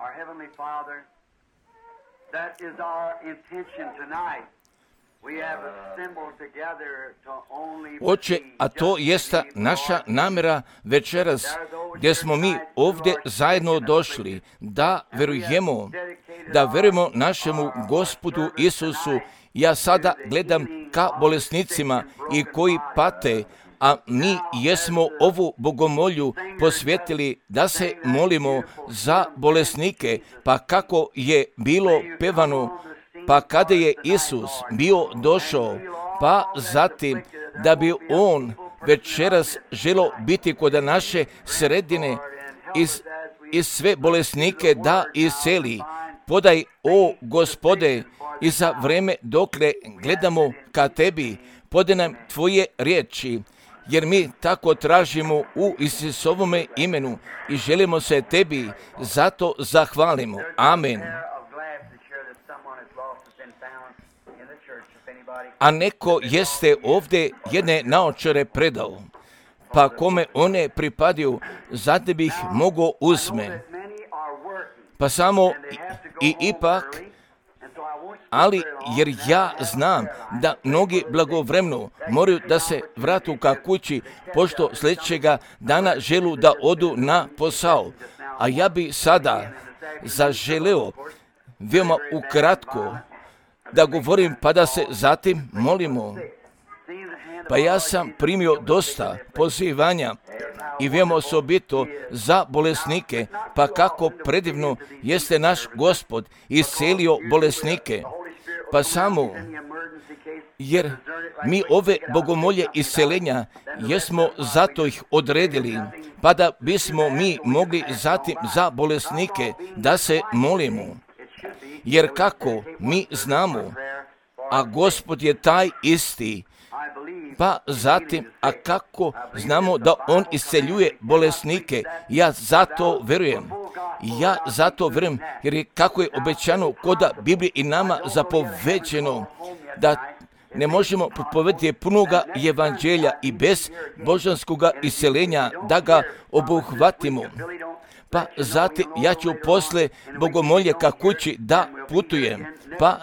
Our Heavenly Father, that is our intention tonight. We have assembled together to only Oče, a to jeste naša namjera večeras, gdje smo mi ovdje zajedno došli, da verujemo našemu Gospodu Isusu. Ja sada gledam ka bolesnicima i koji pate, a mi jesmo ovu bogomolju posvetili da se molimo za bolesnike, pa kako je bilo pevano, pa kada je Isus bio došao, pa zatim da bi on večeras želo biti kod naše sredine i sve bolesnike da isceli. Podaj, o Gospode, i za vreme dokle gledamo ka tebi, podaj nam tvoje riječi, jer mi tako tražimo u Isusovome imenu i želimo se tebi zato zahvalimo. Amen. A neko jeste ovdje jedne naočare predao, pa kome one pripadaju, zato bih mogao uzme. Pa samo i ipak, ali jer ja znam da mnogi blagovremeno moraju da se vratu ka kući, pošto sljedećega dana želu da odu na posao. A ja bi sada zaželeo veoma ukratko da govorim, pa da se zatim molimo. Pa ja sam primio dosta pozivanja i veoma osobito za bolesnike, pa kako predivno jeste naš Gospod iscelio bolesnike. Pa samo, jer mi ove bogomolje iscelenja jesmo zato ih odredili, pa da bismo mi mogli zatim za bolesnike da se molimo. Jer kako mi znamo, a Gospod je taj isti, pa zatim, a kako znamo da on isceljuje bolesnike, ja zato verujem, jer je kako je obećano kod Biblije i nama zapoveđeno, da ne možemo propovedati punoga evanđelja i bez božanskoga isceljenja da ga obuhvatimo. Pa zatim ja ću posle bogomolje ka kući da putujem, pa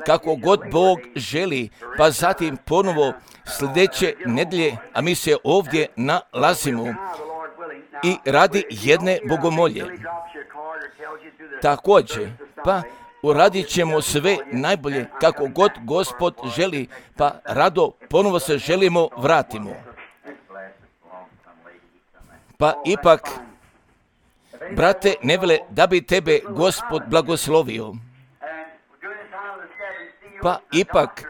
kako god Bog želi, pa zatim ponovo sljedeće nedelje, a mi se ovdje nalazimo i radi jedne bogomolje. Također, pa uradit ćemo sve najbolje kako god Gospod želi, pa rado ponovo se želimo vratimo. Pa ipak, brate Nevele, da bi tebe Gospod blagoslovio. Pa ipak,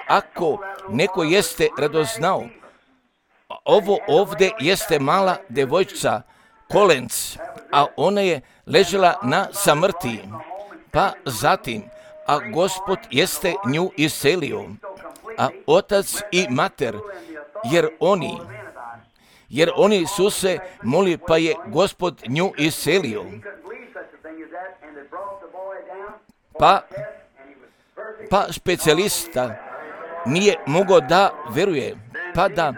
ako neko jeste radoznao, ovo ovdje jeste mala devojčica, kolenc, a ona je ležela na samrti. Pa zatim, a Gospod jeste nju iscelio, a otac i mater, jer oni su se molili, pa je Gospod nju iscelio. Pa specijalista nije mogao da veruje, pa da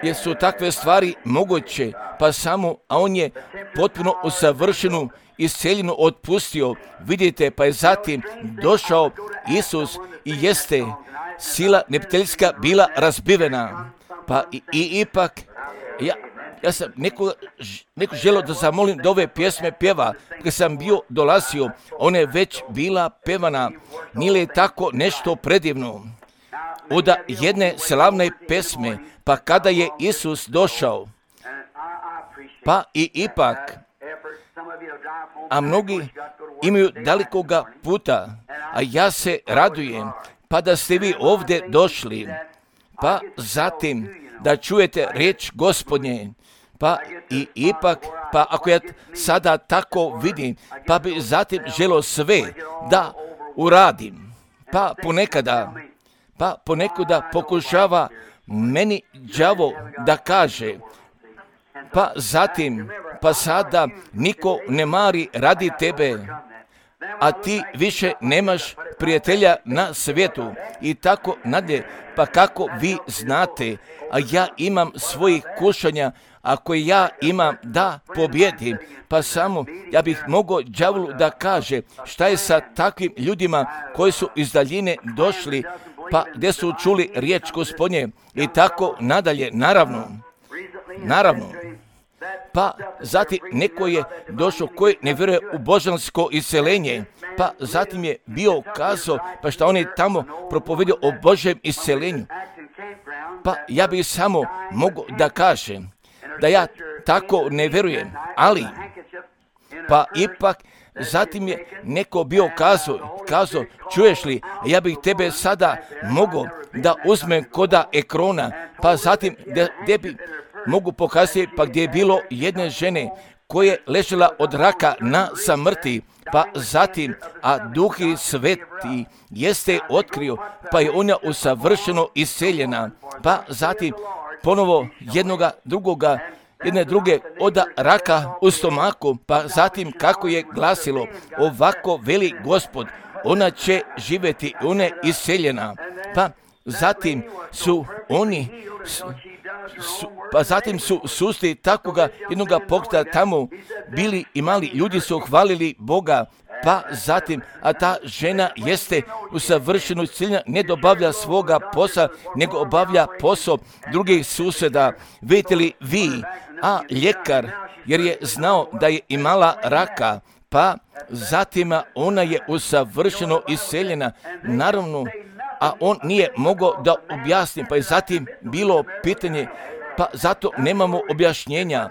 jer su takve stvari moguće, pa samo, a on je potpuno usavršenu isceljenu otpustio. Vidite, pa je zatim došao Isus i jeste sila neprijateljska bila razbivena. Pa ipak, ja sam neko želio da zamolim da ove pjesme pjeva, kad sam bio dolazio, ona je već bila pevana, nije li tako nešto predivno? Od jedne slavne pesme, pa kada je Isus došao, pa i ipak, a mnogi imaju dalikoga puta, a ja se radujem, pa da ste vi ovdje došli, pa zatim da čujete riječ Gospodnje, pa i ipak, pa ako ja sada tako vidim, pa bi zatim želio sve da uradim, pa ponekada pokušava meni đavo da kaže, pa zatim, pa sada niko ne mari radi tebe, a ti više nemaš prijatelja na svijetu i tako nadalje, pa kako vi znate, a ja imam svojih kušanja, ako ja imam da pobjedim, pa samo ja bih mogao đavolu da kaže šta je sa takvim ljudima koji su iz daljine došli, pa gdje su čuli riječ Gospodnje i tako nadalje, naravno. Pa zatim neko je došao koji ne vjeruje u božansko isceljenje, pa zatim je bio kazao, pa šta on je tamo propovedio o Božjem isceljenju. Pa ja bih samo mogu da kažem da ja tako ne vjerujem, ali pa ipak zatim je neko bio kazao, čuješ li, ja bih tebe sada mogao da uzmem koda ekrona, pa zatim gdje bi mogu pokazati, pa gdje je bilo jedne žene koja je ležela od raka na samrti, pa zatim, a Duh Sveti jeste otkrio, pa je ona usavršeno isceljena, pa zatim ponovo jedne druge od raka u stomaku, pa zatim kako je glasilo, ovako veli Gospod, ona će živjeti, ona je isceljena, pa zatim su oni pa zatim su susreli takvoga jednoga pokreta tamo bili i mali ljudi su hvalili Boga, pa zatim, a ta žena jeste usavršeno isceljena, ne dobavlja svoga posla, nego obavlja posao drugih susjeda. Vidite li vi, a ljekar, jer je znao da je imala raka, pa zatim ona je usavršeno isceljena, naravno, a on nije mogao da objasni, pa je zatim bilo pitanje, pa zato nemamo objašnjenja.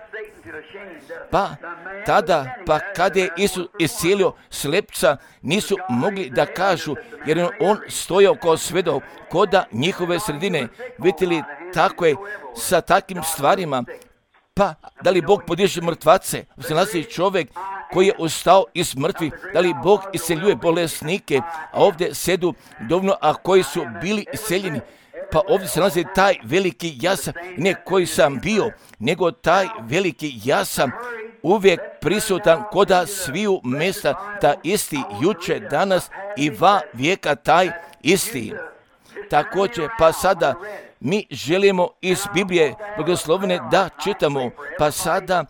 Pa tada, pa kada je Isus iscijelio slepca, nisu mogli da kažu, jer je on stojao kao svedok koda njihove sredine. Vidite li, tako je sa takvim stvarima. Pa, da li Bog podiže mrtvace? Nalazi čovjek koji je ustao iz mrtvih, da li Bog isceljuje bolesnike, a ovdje sedu dovoljno, a koji su bili isceljeni. Pa ovdje se nalazi taj veliki ja sam, ne koji sam bio, nego taj veliki ja sam uvijek prisutan koda sviju mjesta, ta isti juče, danas i va vijeka taj isti. Također, pa sada mi želimo iz Biblije blagoslovene da čitamo, pa sada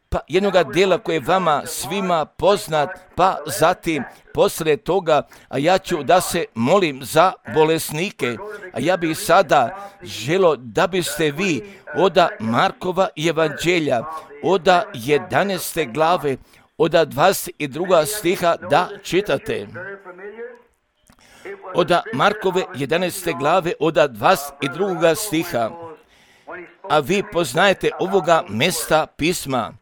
pa jednoga dela koje je vama svima poznat, pa zatim poslije toga, a ja ću da se molim za bolesnike, a ja bih sada želio da biste vi od Markova evanđelja, od 11. glave, od 22. stiha da čitate. Od Markove 11. glave, od 22. stiha, a vi poznajete ovoga mjesta pisma.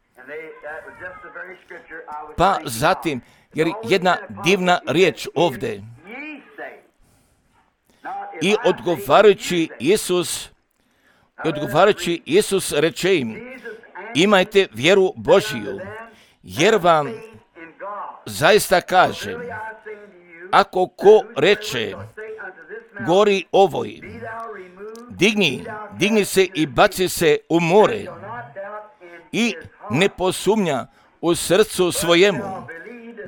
Pa zatim, jer jedna divna riječ ovdje. I odgovarajući Isus reče im, imajte vjeru Božiju, jer vam zaista kažem, ako ko reče gori ovoj, digni se i baci se u more i ne posumnja u srcu svojemu,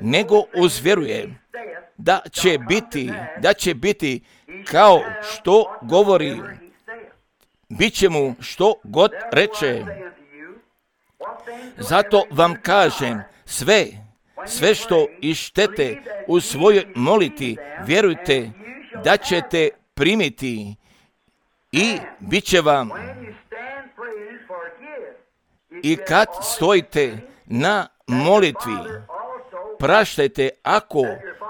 nego uzvjeruje da će biti kao što govori, bit će mu što god reče. Zato vam kažem, sve što ištete u svojoj moliti, vjerujte da ćete primiti i bit će vam. I kad stojite na molitvi, praštajte ako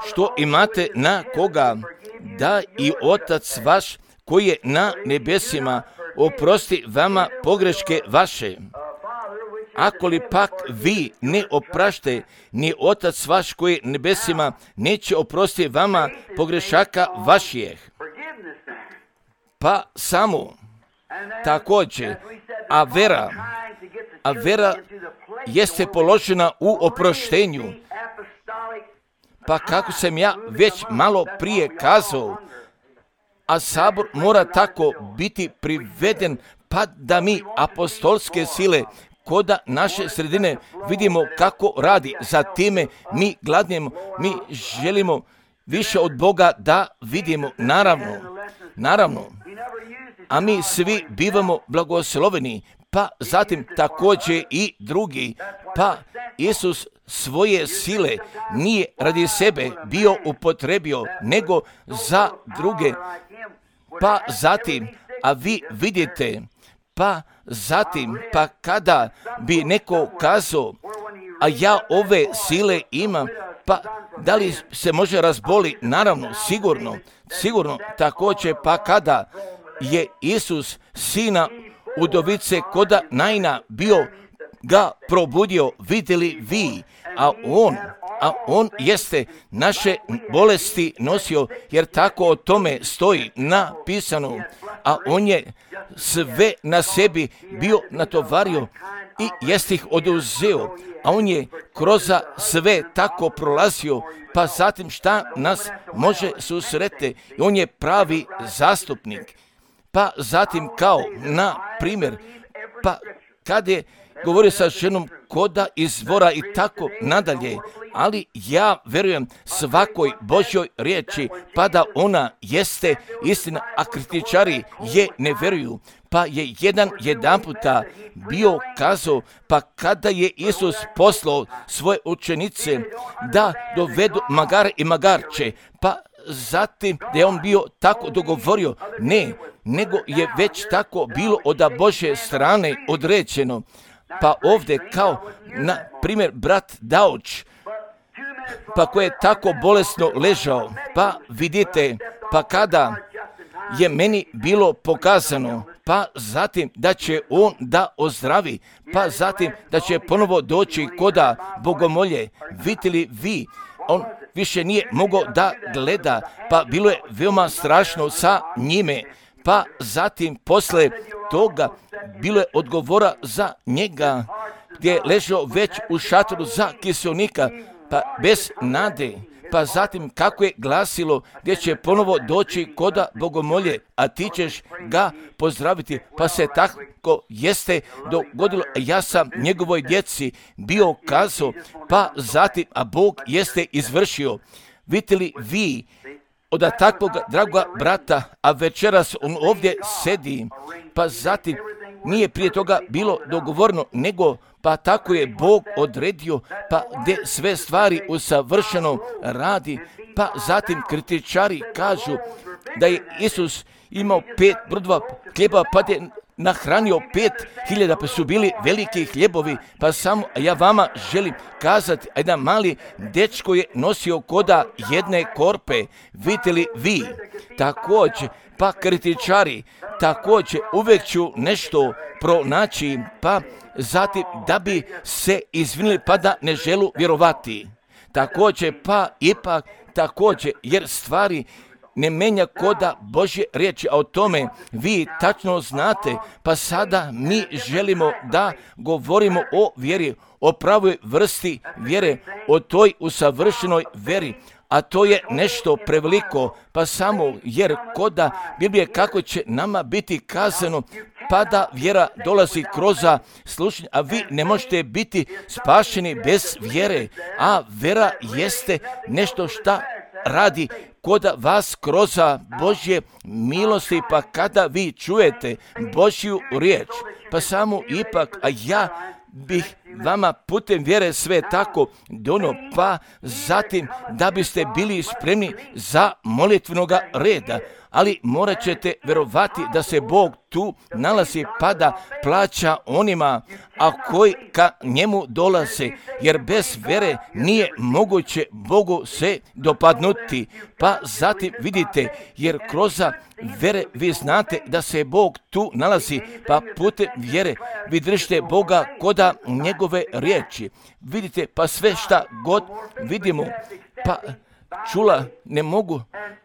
što imate na koga, da i Otac vaš koji je na nebesima oprosti vama pogreške vaše. Ako li pak vi ne oprašte, ni Otac vaš koji je nebesima neće oprostiti vama pogrešaka vaših. Pa samo također, a vera jeste položena u oproštenju. Pa kako sam ja već malo prije kazao, a sabor mora tako biti priveden, pa da mi apostolske sile koda naše sredine vidimo kako radi. Za time mi gladnemo, mi želimo više od Boga da vidimo. Naravno, a mi svi bivamo blagosloveni, pa zatim također i drugi, pa Isus svoje sile nije radi sebe bio upotrebio, nego za druge, pa zatim, a vi vidite, pa zatim, pa kada bi neko kazao, a ja ove sile imam, pa da li se može razboli? Naravno, sigurno, također, pa kada je Isus sina udovice koda Naina bio ga probudio, vidjeli vi, a on jeste naše bolesti nosio, jer tako o tome stoji napisano, a on je sve na sebi bio natovario i jest ih oduzeo, a on je kroz sve tako prolazio, pa zatim šta nas može susreti, i on je pravi zastupnik. Pa zatim kao, na primjer, pa kad je govorio sa ženom koda izvora i tako nadalje, ali ja verujem svakoj Božjoj riječi, pa da ona jeste istina, a kritičari je ne veruju. Pa je jedan puta bio kazao, pa kada je Isus poslao svoje učenice da dovedu magare i magarče, pa zatim da je on bio tako dogovorio, ne, nego je već tako bilo od Božje strane određeno. Pa ovdje kao, na primjer, brat Dauč, pa koji je tako bolesno ležao, pa vidite, pa kada je meni bilo pokazano, pa zatim da će on da ozdravi, pa zatim da će ponovo doći koda bogomolje, vidjeli vi, on više nije mogao da gleda, pa bilo je veoma strašno sa njime, pa zatim posle toga bilo je odgovora za njega, gdje je ležao već u šatoru za kiselnika, pa bez nade, pa zatim kako je glasilo gdje će ponovo doći koda bogomolje, a ti ćeš ga pozdraviti, pa se tako jeste dogodilo. Ja sam njegovoj djeci bio kazao, pa zatim, a Bog jeste izvršio. Vidite li vi od takvog dragoga brata, a večeras on ovdje sedi, pa zatim nije prije toga bilo dogovorno, nego pa tako je Bog odredio, pa gdje sve stvari usavršeno radi, pa zatim kritičari kažu da je Isus imao 5 brodova hljeba, pa je nahranio 5.000, pa su bili veliki hljebovi, pa samo ja vama želim kazati, jedan mali dečko je nosio koda jedne korpe, vidite li vi, također, pa kritičari, također uvijek ću nešto pronaći, pa zatim da bi se izvinili, pa da ne želu vjerovati. Također, pa ipak, također, jer stvari ne menja koda Božje riječi, a o tome vi tačno znate, pa sada mi želimo da govorimo o vjeri, o pravoj vrsti vjere, o toj usavršenoj vjeri, a to je nešto preveliko, pa samo jer koda Biblije kako će nama biti kazano, pa da vjera dolazi kroz slušanje, a vi ne možete biti spašeni bez vjere, a vjera jeste nešto šta radi kod vas kroz Božje milosti, pa kada vi čujete Božju riječ, pa samo ipak, a ja bih vama putem vjere sve tako dono, pa zatim da biste bili spremni za molitvenoga reda, ali morat ćete vjerovati da se Bog tu nalazi, pa da plaća onima, a koji ka njemu dolaze, jer bez vjere nije moguće Bogu se dopadnuti. Pa zatim vidite, jer kroz vjere vi znate da se Bog tu nalazi, pa putem vjere vi držite Boga koda njegove riječi. Vidite, pa sve šta god vidimo, pa čula ne mogu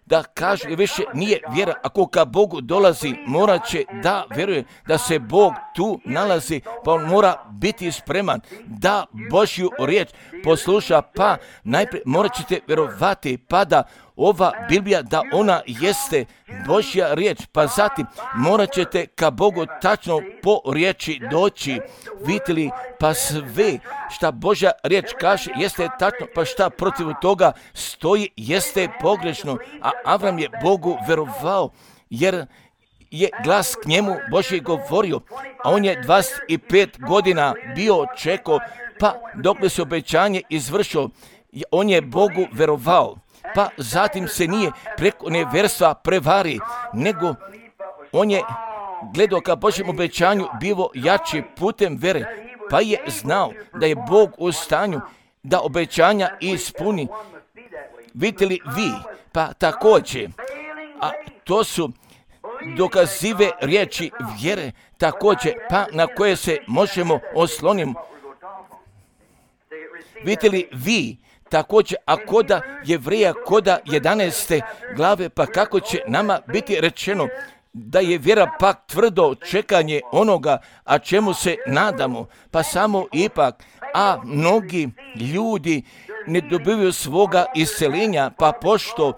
da kažu, jer više nije vjera. Ako ka Bogu dolazi, morat će da vjeruje da se Bog tu nalazi, pa on mora biti spreman da Božju riječ posluša, pa najprije morat ćete vjerovati, pa da ova Biblija, da ona jeste Božja riječ, pa zatim morat ćete ka Bogu tačno po riječi doći. Vidite li, pa sve šta Božja riječ kaže jeste tačno, pa šta protiv toga stoji jeste pogrešno, a Avram je Bogu vjerovao, jer je glas k njemu Božji govorio, a on je 25 godina bio čekao, pa dokle se obećanje izvršilo, on je Bogu verovao, pa zatim se nije preko nevjerstva prevari, nego on je gledao ka Božjem obećanju bivo jači putem vere, pa je znao da je Bog u stanju da obećanja ispuni. Vidite li vi, pa također, a to su dokazive riječi vjere, također, pa na koje se možemo osloniti. Vidite li vi, također, a koda Jevrija, koda 11. glave, pa kako će nama biti rečeno da je vjera pak tvrdo čekanje onoga, a čemu se nadamo, pa samo ipak, a mnogi ljudi ne dobivaju svoga isceljenja, pa pošto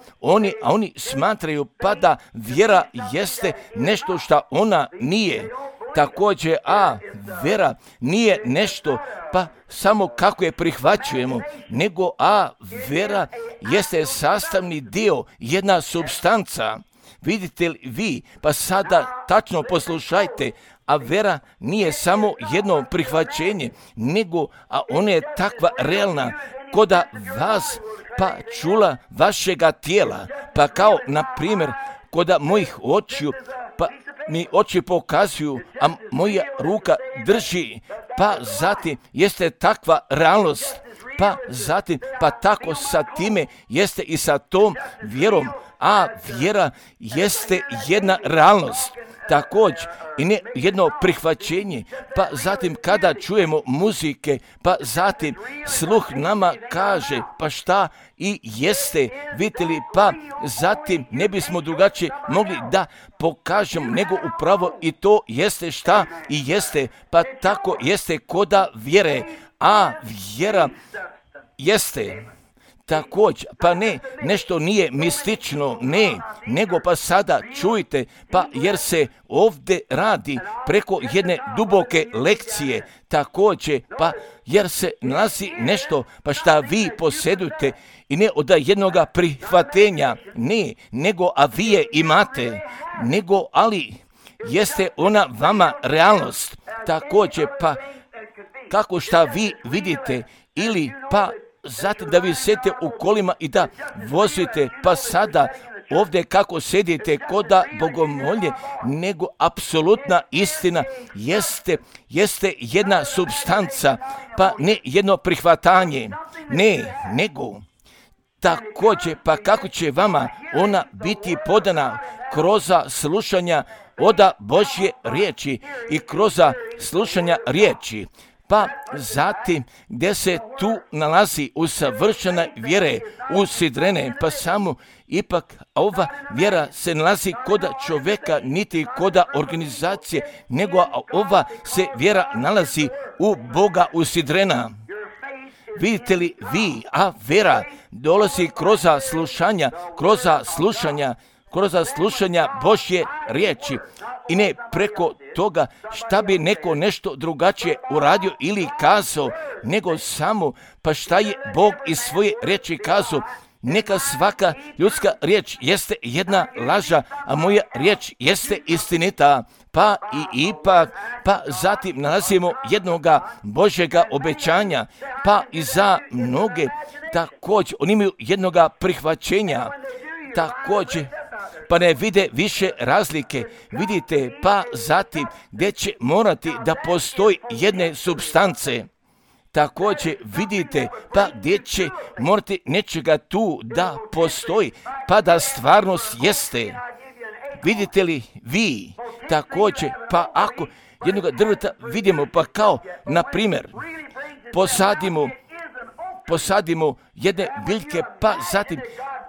oni smatraju pa da vjera jeste nešto što ona nije. Također, a vjera nije nešto pa samo kako je prihvaćujemo, nego a vjera jeste sastavni dio, jedna supstanca. Vidite li vi, pa sada tačno poslušajte, a vjera nije samo jedno prihvaćenje, nego a ona je takva realna, koda vas pa čula vašega tijela, pa kao na primjer koda mojih očiju, pa mi oči pokazuju, a moja ruka drži, pa zatim jeste takva realnost, pa zatim pa tako sa time jeste i sa tom vjerom, a vjera jeste jedna realnost. Također i ne jedno prihvaćenje, pa zatim kada čujemo muzike, pa zatim sluh nama kaže pa šta i jeste, vidite li, pa zatim ne bismo drugačije mogli da pokažemo nego upravo i to jeste šta i jeste, pa tako jeste koda vjere, a vjera jeste također, pa ne, nešto nije mistično, ne, nego pa sada čujte, pa jer se ovdje radi preko jedne duboke lekcije, također, pa jer se nalazi nešto, pa šta vi posjedujete i ne od jednoga prihvatenja, ne, nego a vi je imate, nego ali jeste ona vama realnost, također, pa kako šta vi vidite ili pa zatim da vi sedite u kolima i da vozite, pa sada ovdje kako sedite koda bogomolje, nego apsolutna istina jeste jedna supstanca, pa ne jedno prihvatanje, ne, nego također, pa kako će vama ona biti podana kroz slušanja oda Božje riječi i kroz slušanja riječi. Pa zatim gdje se tu nalazi usavršena vjere usidrene, pa samo ipak ova vjera se nalazi koda čovjeka, niti koda organizacije, nego ova se vjera nalazi u Boga usidrena. Vidite li vi, a vjera dolazi kroz slušanja Božje riječi i ne preko toga šta bi neko nešto drugačije uradio ili kazao, nego samo pa šta je Bog iz svoje riječi kazao. Neka svaka ljudska riječ jeste jedna laža, a moja riječ jeste istinita. Pa i ipak, pa zatim nalazimo jednoga Božjega obećanja, pa i za mnoge također oni imaju jednoga prihvaćenja, također pa ne vide više razlike, vidite, pa zatim gdje će morati da postoji jedne supstance. Također vidite, pa gdje će morati nečega tu da postoji, pa da stvarnost jeste. Vidite li vi, također, pa ako jednoga drveta vidimo, pa kao, na primjer, posadimo jedne biljke, pa zatim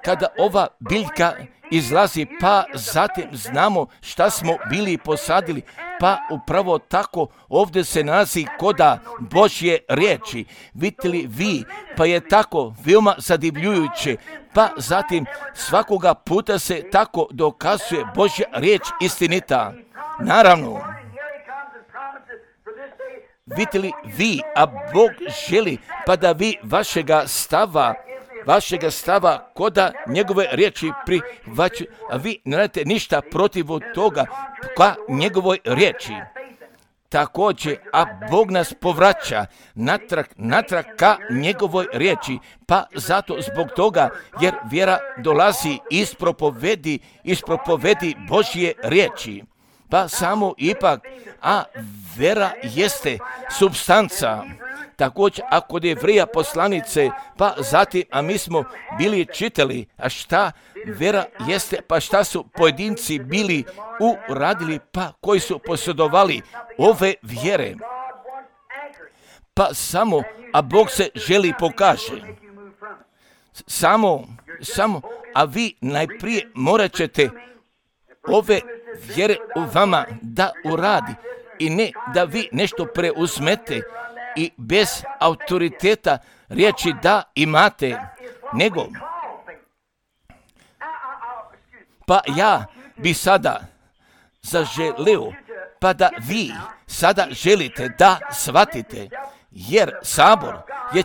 kada ova biljka izlazi, pa zatim znamo šta smo bili posadili, pa upravo tako ovdje se nalazi koda Božje riječi. Vidite li vi, pa je tako veoma zadivljujuće, pa zatim svakoga puta se tako dokazuje Božja riječ istinita. Naravno, vidite li vi, a Bog želi pa da vi vašega stava vašega stava koda njegove riječi prihvaćaju, a vi ne radite ništa protiv toga ka njegovoj riječi. Također, a Bog nas povraća natrag ka njegovoj riječi, pa zato zbog toga, jer vjera dolazi iz propovedi Božje riječi. Pa samo ipak, a vjera jeste supstanca. Također, a kod Jevrija poslanice, pa zatim, a mi smo bili čitali, a šta vjera jeste, pa šta su pojedinci bili uradili, pa koji su posjedovali ove vjere. Pa samo, a Bog se želi pokaže. Samo, a vi najprije morat ćete ove vjere u vama da uradi i ne da vi nešto preuzmete i bez autoriteta riječi da imate, nego pa ja bi sada zaželio, pa da vi sada želite da shvatite, jer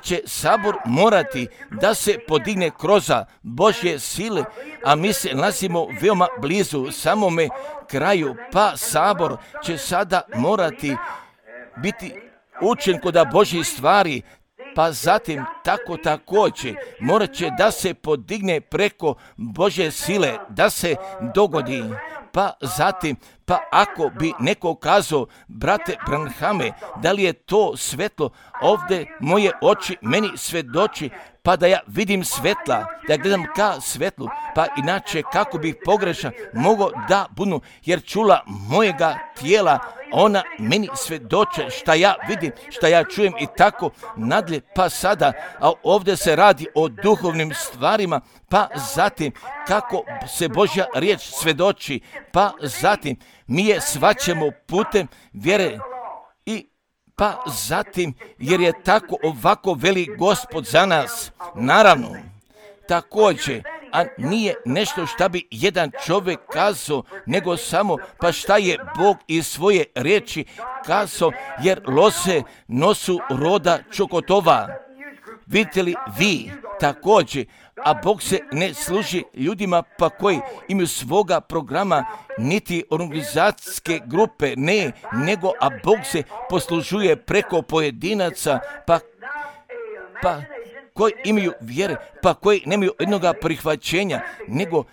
će sabor morati da se podigne kroz Božje sile, a mi se nalazimo veoma blizu samome kraju, pa sabor će sada morati biti učen kod Božjih stvari, pa zatim tako također morat će da se podigne preko Božje sile, da se dogodi. Pa zatim, pa ako bi neko kazao, brate Branhame, da li je to svetlo, ovdje moje oči meni svjedoči, pa da ja vidim svetla, da gledam ka svetlu, pa inače kako bih pogrešan mogao da budu, jer čula mojega tijela, ona meni svjedoče šta ja vidim, šta ja čujem i tako nadalje, pa sada, a ovdje se radi o duhovnim stvarima, pa zatim kako se Božja riječ svjedoči, pa zatim mi je shvaćamo putem vjere i pa zatim jer je tako ovako veli Gospod za nas. Naravno, također, a nije nešto šta bi jedan čovjek kazao, nego samo pa šta je Bog iz svoje riječi kazao, jer lose nosu roda čokotova. Vidite li vi također, a Bog se ne služi ljudima pa koji imaju svoga programa, niti organizacijske grupe, ne, nego a Bog se poslužuje preko pojedinaca, pa koji imaju vjere, pa koji nemaju jednoga prihvaćenja, nego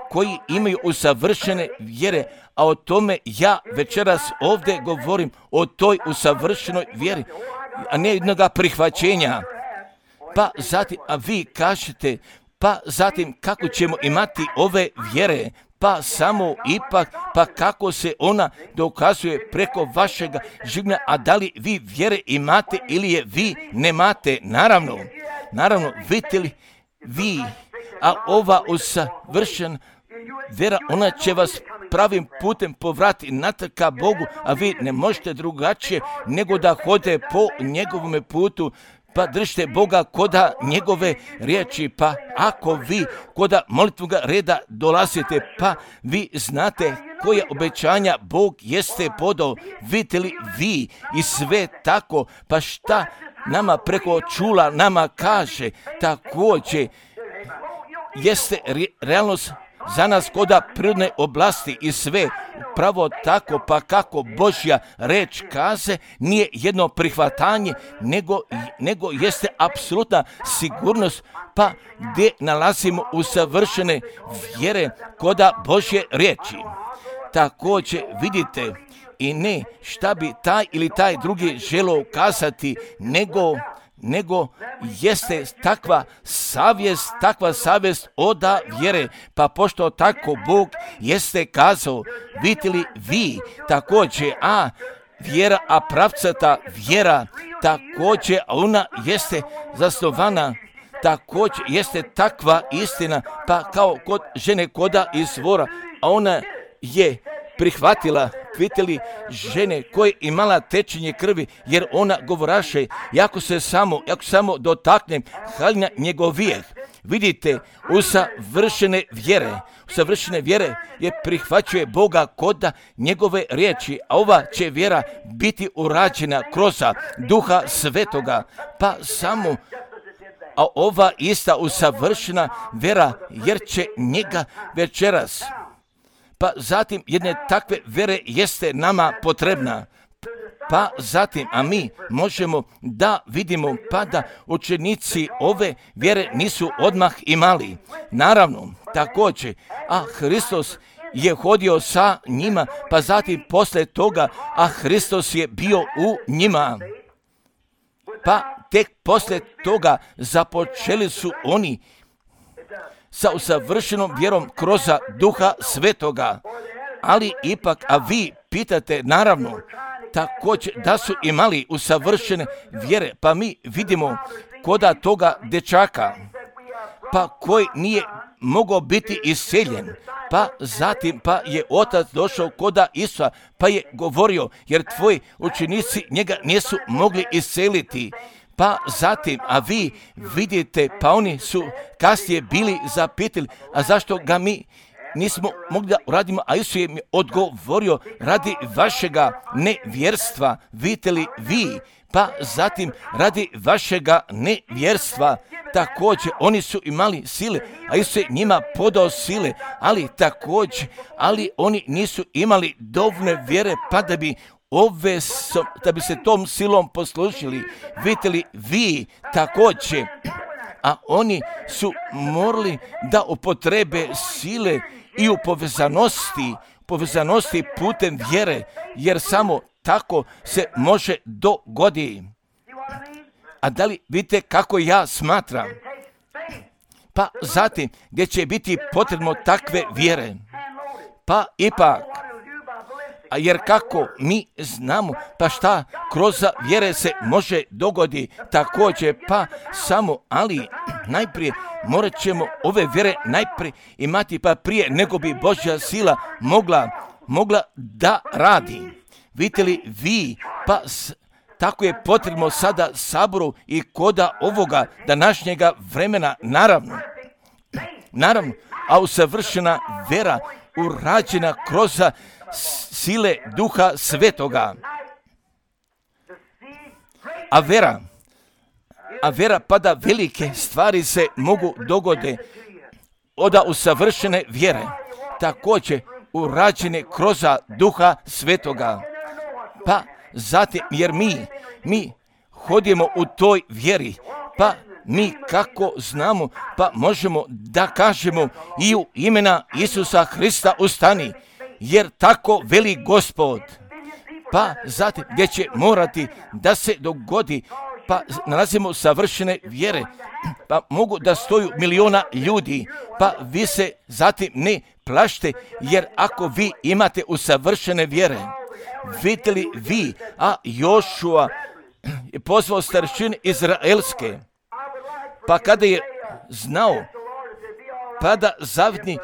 koji imaju usavršene vjere, a o tome ja večeras ovdje govorim, o toj usavršenoj vjeri, a ne jednoga prihvaćenja. Pa zatim, a vi kažete, pa zatim kako ćemo imati ove vjere, pa samo ipak, pa kako se ona dokazuje preko vašega življenja, a da li vi vjere imate ili je vi nemate, naravno, vidite li vi, a ova usavršena vjera, ona će vas pravim putem povrati natrag ka Bogu, a vi ne možete drugačije nego da hodite po njegovome putu, pa držite Boga koda njegove riječi, pa ako vi koda molitvoga reda dolazite, pa vi znate koje obećanja Bog jeste podao, vidite li vi i sve tako, pa šta nama preko čula nama kaže, također jeste realnost za nas koda prirodne oblasti i sve pravo tako, pa kako Božja reč kaze, nije jedno prihvatanje, nego jeste apsolutna sigurnost, pa gdje nalazimo usavršene vjere koda Božje riječi. Također vidite, i ne šta bi taj ili taj drugi želio kazati, nego jeste takva savjest oda vjere, pa pošto tako Bog jeste kazao, vidite li vi također, a vjera, a pravcata vjera, također ona jeste zasnovana, također jeste takva istina, pa kao kod žene koda izvora, a ona je prihvatila, vidite li, žene koje imala tečenje krvi, jer ona govoraše, jako samo dotaknem haljina njegovijeh. Vidite, usavršene vjere je prihvaćuje Boga koda njegove riječi, a ova će vjera biti urađena kroz Duha Svetoga, pa samo a ova ista usavršena vera, jer će njega večeras. Pa zatim jedne takve vere jeste nama potrebna. Pa zatim, a mi možemo da vidimo pa da učenici ove vjere nisu odmah imali. Naravno, također, a Hristos je hodio sa njima, pa zatim posle toga, a Hristos je bio u njima. Pa tek posle toga započeli su oni sa usavršenom vjerom kroz Duha Svetoga. Ali ipak, a vi pitate, naravno, također da su imali usavršene vjere, pa mi vidimo koda toga dečaka, pa koji nije mogao biti iseljen, pa zatim pa je otac došao koda Isusa, pa je govorio, jer tvoji učenici njega nisu mogli iseliti. Pa zatim, a vi vidite, pa oni su kasnije bili zapitali, a zašto ga mi nismo mogli da uradimo, a Isus je mi odgovorio, radi vašega nevjerstva, vidite li vi, pa zatim radi vašega nevjerstva. Također, oni su imali sile, a Isus je njima podao sile, ali oni nisu imali dovoljne vjere, pa da bi se tom silom poslužili. Vidite li vi također, a oni su morali da upotrebe sile i u povezanosti putem vjere, jer samo tako se može dogoditi. A da li vidite kako ja smatram? Pa zatim, gdje će biti potrebno takve vjere? Pa ipak, a jer kako mi znamo, pa šta kroz vjere se može dogoditi također, pa samo, ali najprije morat ćemo ove vjere najprije imati, pa prije nego bi Božja sila mogla da radi. Vidite li vi, pa tako je potrebno sada saboru i koda ovoga današnjega vremena, naravno, a usavršena vera urađena kroz sile Duha Svetoga. A vera pa da velike stvari se mogu dogode od usavršene vjere, također urađene kroz Duha Svetoga. Pa zatim, jer mi hodimo u toj vjeri, pa mi kako znamo, pa možemo da kažemo i u imena Isusa Hrista ustani, jer tako veli Gospod. Pa zatim, gdje će morati da se dogodi, pa nalazimo savršene vjere, pa mogu da stoju miliona ljudi, pa vi se zatim ne plašite, jer ako vi imate usavršene vjere, vidite li vi, a Jošua je pozvao staršine izraelske, pa kada je znao, pa da zavidni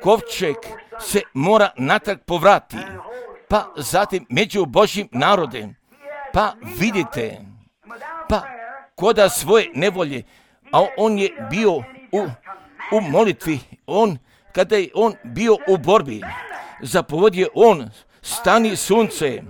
kovčeg se mora natrag povrati, pa zatim među Božjim narodem, pa vidite, pa koda svoje nevolje, a on je bio u molitvi, kada je on bio u borbi, zapovodio on, stani sunce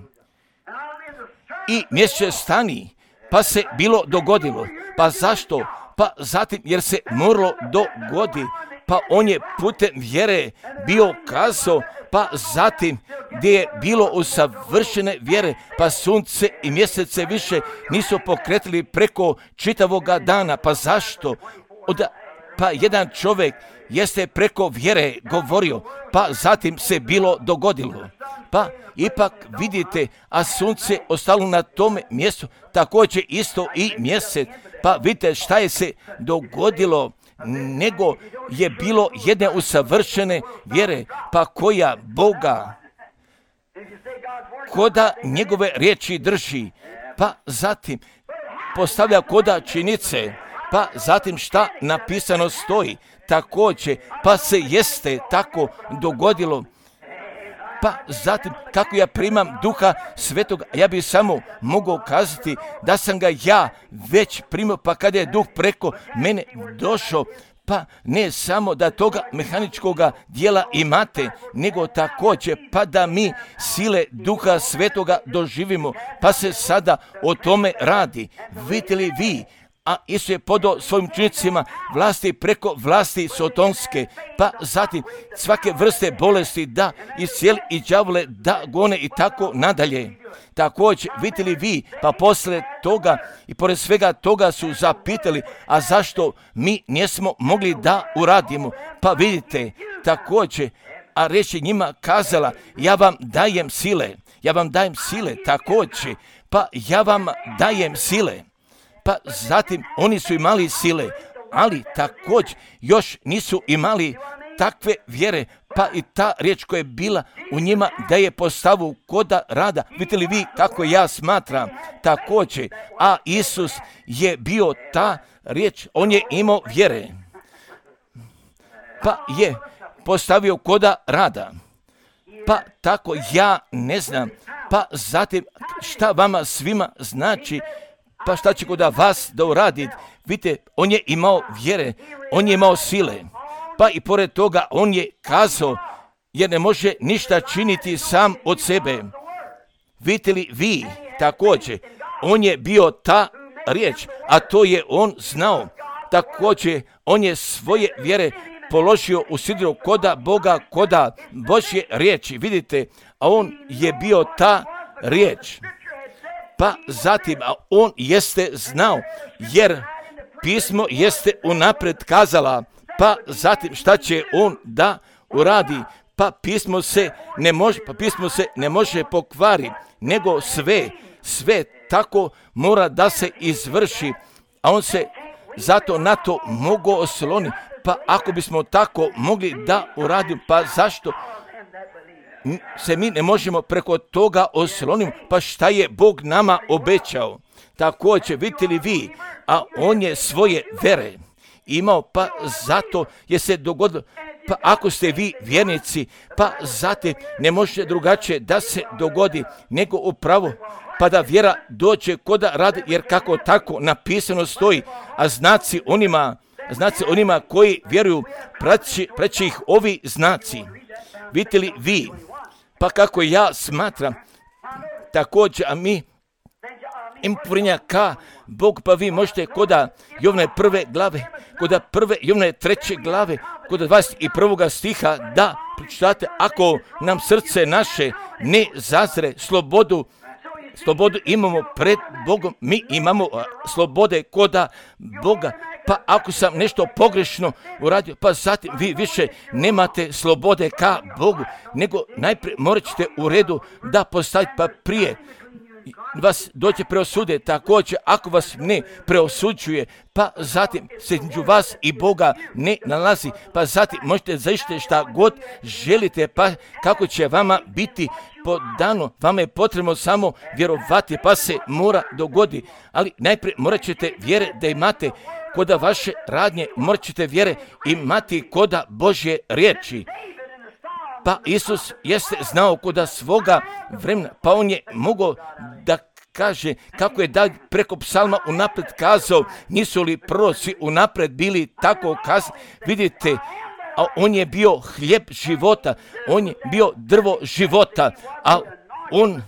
i mjeseče stani, pa se bilo dogodilo. Pa zašto? Pa zatim jer se moralo dogodi, pa on je putem vjere bio kazao, pa zatim gdje je bilo usavršene vjere, pa sunce i mjesece više nisu pokretili preko čitavoga dana. Pa zašto? Pa jedan čovjek jeste preko vjere govorio, pa zatim se bilo dogodilo. Pa ipak vidite, a sunce ostalo na tome mjestu, također isto i mjesec. Pa vidite šta je se dogodilo, nego je bilo jedne usavršene vjere, pa koja Boga, koda njegove riječi drži, pa zatim postavlja koda činice, pa zatim šta napisano stoji, također, pa se jeste tako dogodilo. Pa zatim, kako ja primam Duha Svetoga, ja bih samo mogao kazati da sam ga ja već primio, pa kada je Duh preko mene došao, pa ne samo da toga mehaničkoga dijela imate, nego također pa da mi sile Duha Svetoga doživimo, pa se sada o tome radi. Vidite li vi, a Isus je podao svojim učenicima vlasti preko vlasti sotonske, pa zatim svake vrste bolesti da iscijeli i đavole da gone i tako nadalje. Također, vidite li vi, pa posle toga i pored svega toga su zapitali, a zašto mi nismo mogli da uradimo? Pa vidite, također, a riječ je njima kazala, ja vam dajem sile, također, pa ja vam dajem sile. Pa zatim oni su imali sile, ali također još nisu imali takve vjere, pa i ta riječ koja je bila u njima da je postavu koda rada. Vidite li vi kako ja smatram također, a Isus je bio ta riječ, on je imao vjere, pa je postavio koda rada. Pa tako ja ne znam, pa zatim šta vama svima znači, pa šta će koda vas da uradi. Vidite, on je imao vjere, on je imao sile, pa i pored toga on je kazao, jer ne može ništa činiti sam od sebe. Vidite li vi također, on je bio ta riječ, a to je on znao. Također, on je svoje vjere položio u sidro koda Boga, koda Božje riječi. Vidite, a on je bio ta riječ. Pa zatim, a on jeste znao, jer pismo jeste unapred kazala, pa zatim šta će on da uradi, pa pismo se ne može pokvari, nego sve tako mora da se izvrši, a on se zato na to mogao osloniti. Pa ako bismo tako mogli da uradimo, pa zašto se mi ne možemo preko toga osloniti? Pa šta je Bog nama obećao? Također, vidite li vi, a on je svoje vere imao, pa zato je se dogodilo, pa ako ste vi vjernici, pa zatim ne može drugačije da se dogodi nego upravo, pa da vjera dođe koda radi, jer kako tako napisano stoji, a znaci onima koji vjeruju, preći ih ovi znaci. Vidite li vi, pa kako ja smatram, također, a mi imprinja ka Bog, pa vi možete koda Jovne 1. glave, koda 1. Jovne 3. glave, koda 21. stiha da pročitate, ako nam srce naše ne zazre, slobodu imamo pred Bogom, mi imamo slobode koda Boga. Pa ako sam nešto pogrešno uradio, pa zatim vi više nemate slobode ka Bogu, nego najprije morat ćete u redu da postavite, pa prije vas dođe preosude. Također, ako vas ne preosuđuje, pa zatim se između vas i Boga ne nalazi, pa zatim možete zaista šta god želite, pa kako će vama biti podano, vama je potrebno samo vjerovati, pa se mora dogodi, ali najprije morat ćete vjere da imate koda vaše radnje, morat ćete vjere imati koda Božje riječi. Pa Isus jeste znao koda svoga vremena, pa on je mogao da kaže kako je da preko psalma unapred kazao, nisu li proroci unapred bili tako kazani. Vidite, a on je bio hljeb života, on je bio drvo života, a on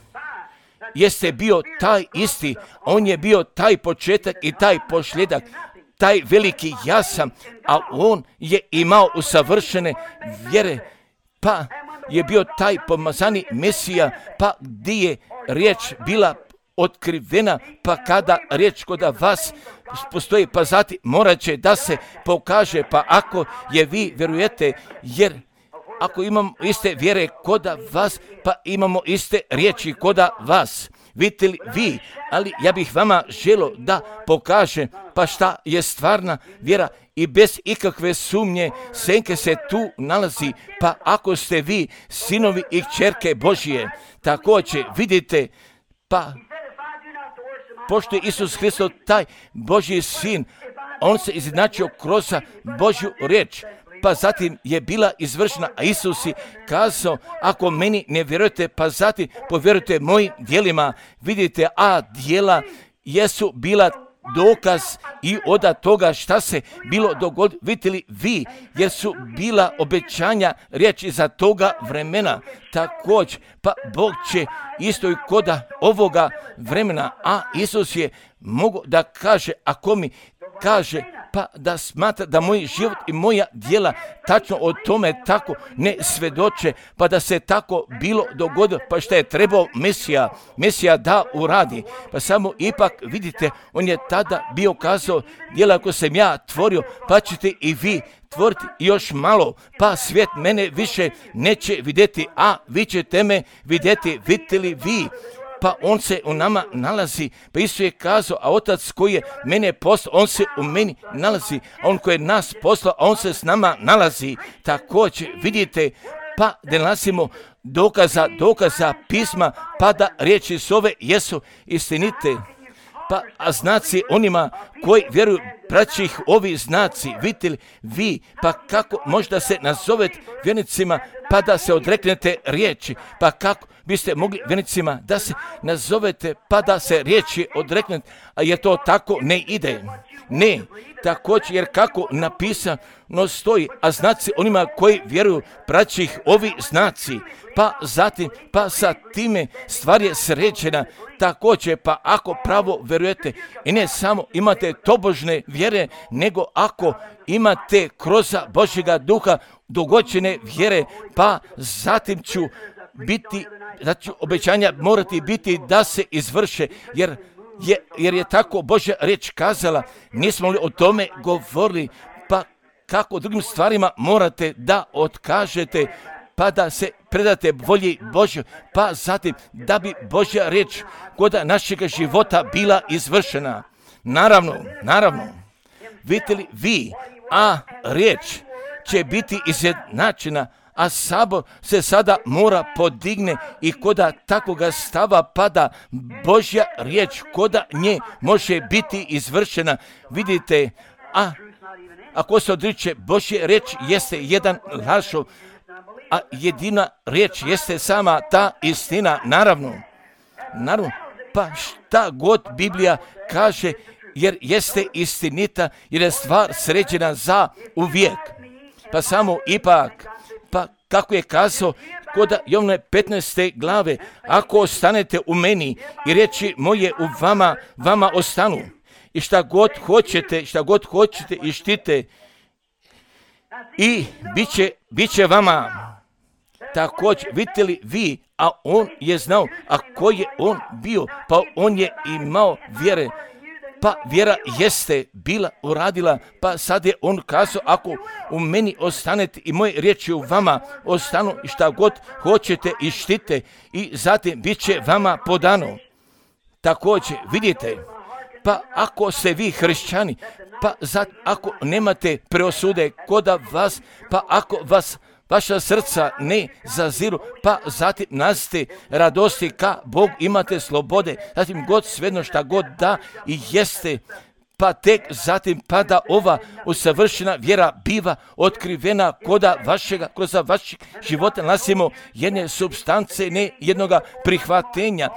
jeste bio taj isti, on je bio taj početak i taj posljedak, taj veliki ja sam, a on je imao usavršene vjere, pa je bio taj pomazani Mesija, pa gdje je riječ bila otkrivena, pa kada riječ koda vas postoji, pa zatim morat će da se pokaže, pa ako je vi vjerujete, jer ako imamo iste vjere koda vas, pa imamo iste riječi koda vas. Vidite li vi, ali ja bih vama želio da pokažem, pa šta je stvarna vjera i bez ikakve sumnje senke se tu nalazi, pa ako ste vi sinovi i kćerke Božije, također vidite, pa pošto je Isus Hristos taj Božji sin, on se izjednačio kroz Božju riječ, pa zatim je bila izvršena, a Isus je kazao, ako meni ne vjerujete, pa zatim povjerujte mojim djelima. Vidite, a djela jesu bila dokaz i od toga šta se bilo dogodilo. Vidite li vi, jer su bila obećanja riječi za toga vremena. Također, pa Bog će isto i koda ovoga vremena, a Isus je mogao da kaže, ako mi kaže, pa da smatra da moj život i moja djela tačno o tome tako ne svedoče, pa da se tako bilo dogodilo, pa što je trebao Mesija da uradi. Pa samo ipak vidite, on je tada bio kazao, djela ako sam ja tvorio, pa ćete i vi tvoriti još malo, pa svijet mene više neće vidjeti, a vi ćete me vidjeti. Vidite li vi? Pa on se u nama nalazi, pa Isus je kazao, a Otac koji je mene poslao, on se u meni nalazi, a on koji je nas poslao, a on se s nama nalazi. Također vidite, pa da nalazimo dokaza pisma, pa da riječi s ove jesu istinite. Pa a znaci onima koji vjeruju, praći ih ovi znaci, vidite li vi, pa kako možda se nazovete vjernicima, pa da se odreknete riječi, pa kako biste mogli vjernicima da se nazovete, pa da se riječi odreknete, a je to tako ne ide. Ne, također, jer kako napisano stoji, a znaci onima koji vjeruju, praći ih ovi znaci, pa zatim, pa sa time stvar je sređena. Također, pa ako pravo vjerujete i ne samo imate tobožne vjere, nego ako imate kroz Božjega duha dogođene vjere, pa zatim ću biti, da ću obećanja morati biti da se izvrše, jer je tako Božja riječ kazala. Nismo li o tome govorili, pa kako drugim stvarima morate da otkažete, pa da se predate volji Božjoj, pa zatim da bi Božja riječ kod našeg života bila izvršena. Naravno, vidite li vi, a riječ će biti izjednačena, a sabor se sada mora podigne i koda takvoga stava pada Božja riječ, koda nje može biti izvršena. Vidite, a ako se odriče Božje riječ jeste jedan lažov, a jedina riječ jeste sama ta istina. Naravno, pa šta god Biblija kaže, jer jeste istinita, jer je stvar sređena za uvijek. Pa samo ipak, pa kako je kazao kod Jovane 15. glave, ako ostanete u meni i riječi moje u vama ostanu, i šta god hoćete i štite, i bit će vama. Također, vidite li vi, a on je znao, a ko je on bio, pa on je imao vjere, pa vjera jeste bila uradila, pa sad je on kazao, ako u meni ostanete i moje riječi u vama ostanu, i šta god hoćete i štite, i zatim bit će vama podano. Također, vidite, pa ako ste vi hrišćani, pa ako nemate preosude kod vas, pa ako vas vaša srca ne zaziru, pa zatim nazite radosti ka Bog, imate slobode, zatim god svejedno šta god da i jeste, pa tek zatim pada ova usavršena vjera biva otkrivena kroz vašeg života nalazimo jedne supstance, ne jednoga prihvatenja.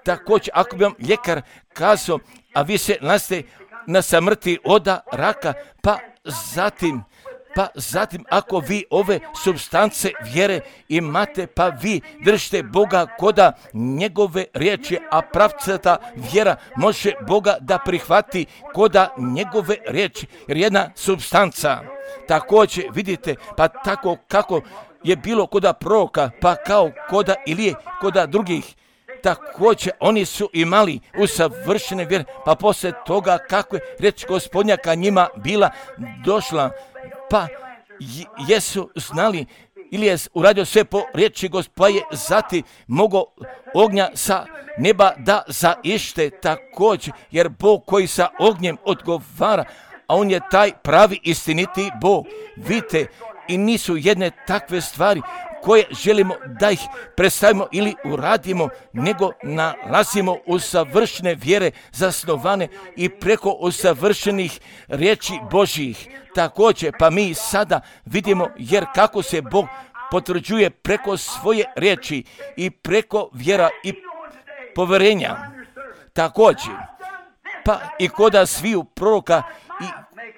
Također, ako bi vam ljekar kazao, a vi se nalazite na samrti od raka, pa zatim ako vi ove supstance vjere imate, pa vi držite Boga koda njegove riječi, a pravcata vjera može Boga da prihvati koda njegove riječi, jer jedna supstanca. Također vidite, pa tako kako je bilo koda proroka, pa kao koda Ilije, koda drugih, također oni su imali usavršene vjere, pa poslije toga kako je riječ Gospodnja ka njima bila došla, pa jesu znali ili je uradio sve po riječi Gospoda, je zatim mogao ognja sa neba da zaište također, jer Bog koji sa ognjem odgovara, a on je taj pravi istiniti Bog. Vidite, i nisu jedne takve stvari koje želimo da ih predstavimo ili uradimo, nego nalazimo usavršene vjere zasnovane i preko usavršenih riječi Božjih. Također, pa mi sada vidimo, jer kako se Bog potvrđuje preko svoje riječi i preko vjera i poverenja. Također, pa i koda sviju proroka i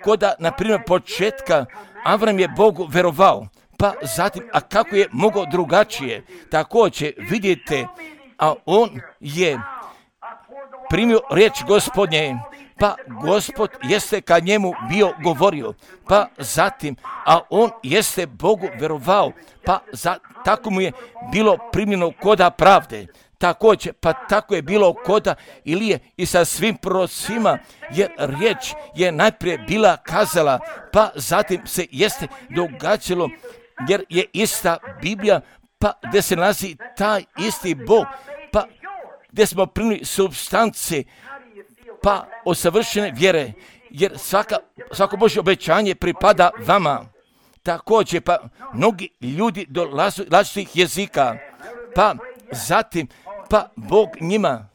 koda, na primjer, početka Avram je Bogu verovao, pa zatim, a kako je mogao drugačije, također vidite, a on je primio riječ Gospodnje, pa Gospod jeste kad njemu bio govorio, pa zatim, a on jeste Bogu verovao, pa tako mu je bilo primljeno koda pravde. Također, pa tako je bilo koda Ilije i sa svim prorocima, jer riječ je najprije bila kazala, pa zatim se jeste događalo, jer je ista Biblija, pa gdje se nalazi taj isti Bog, pa gdje smo primili supstance, pa osavršene vjere, jer svako Božje obećanje pripada vama. Također, pa mnogi ljudi dolaze različitih jezika, pa zatim, pa Bog njima,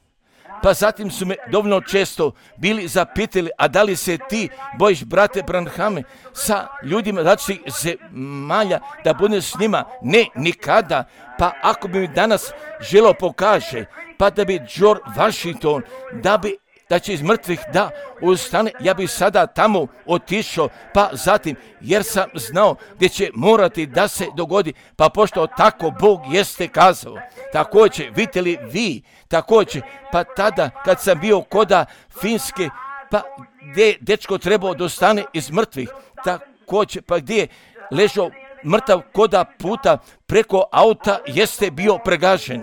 pa zatim su me dovoljno često bili zapitali, a da li se ti bojiš, brate Branhame, sa ljudima različitih zemalja da budeš s njima? Ne, nikada. Pa ako bi mi danas želo pokaže, pa da bi George Washington, da će iz mrtvih da ustane, ja bi sada tamo otišao, pa zatim, jer sam znao gdje će morati da se dogodi, pa pošto tako Bog jeste kazao. Također, vidite li vi, također, pa tada kad sam bio koda Finske, pa gdje je dečko trebao da ostane iz mrtvih, također, pa gdje je ležao mrtav koda puta preko auta jeste bio pregažen.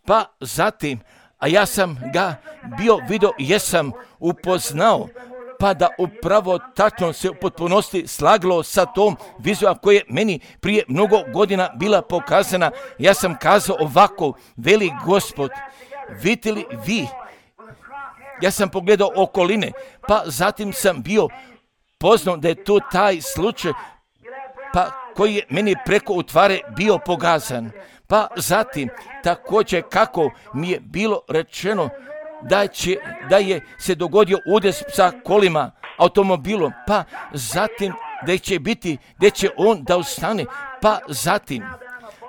Pa zatim, a ja sam ga bio vidio, jesam upoznao, pa da upravo tačno se u potpunosti slaglo sa tom vizijom koja je meni prije mnogo godina bila pokazana. Ja sam kazao ovako, veli Gospod, vidite li vi, ja sam pogledao okoline, pa zatim sam bio poznao da je to taj slučaj, pa koji je meni preko utvare bio pokazan. Pa zatim, također kako mi je bilo rečeno da je se dogodio udes sa kolima, automobilom, pa zatim da će on da ustane, pa zatim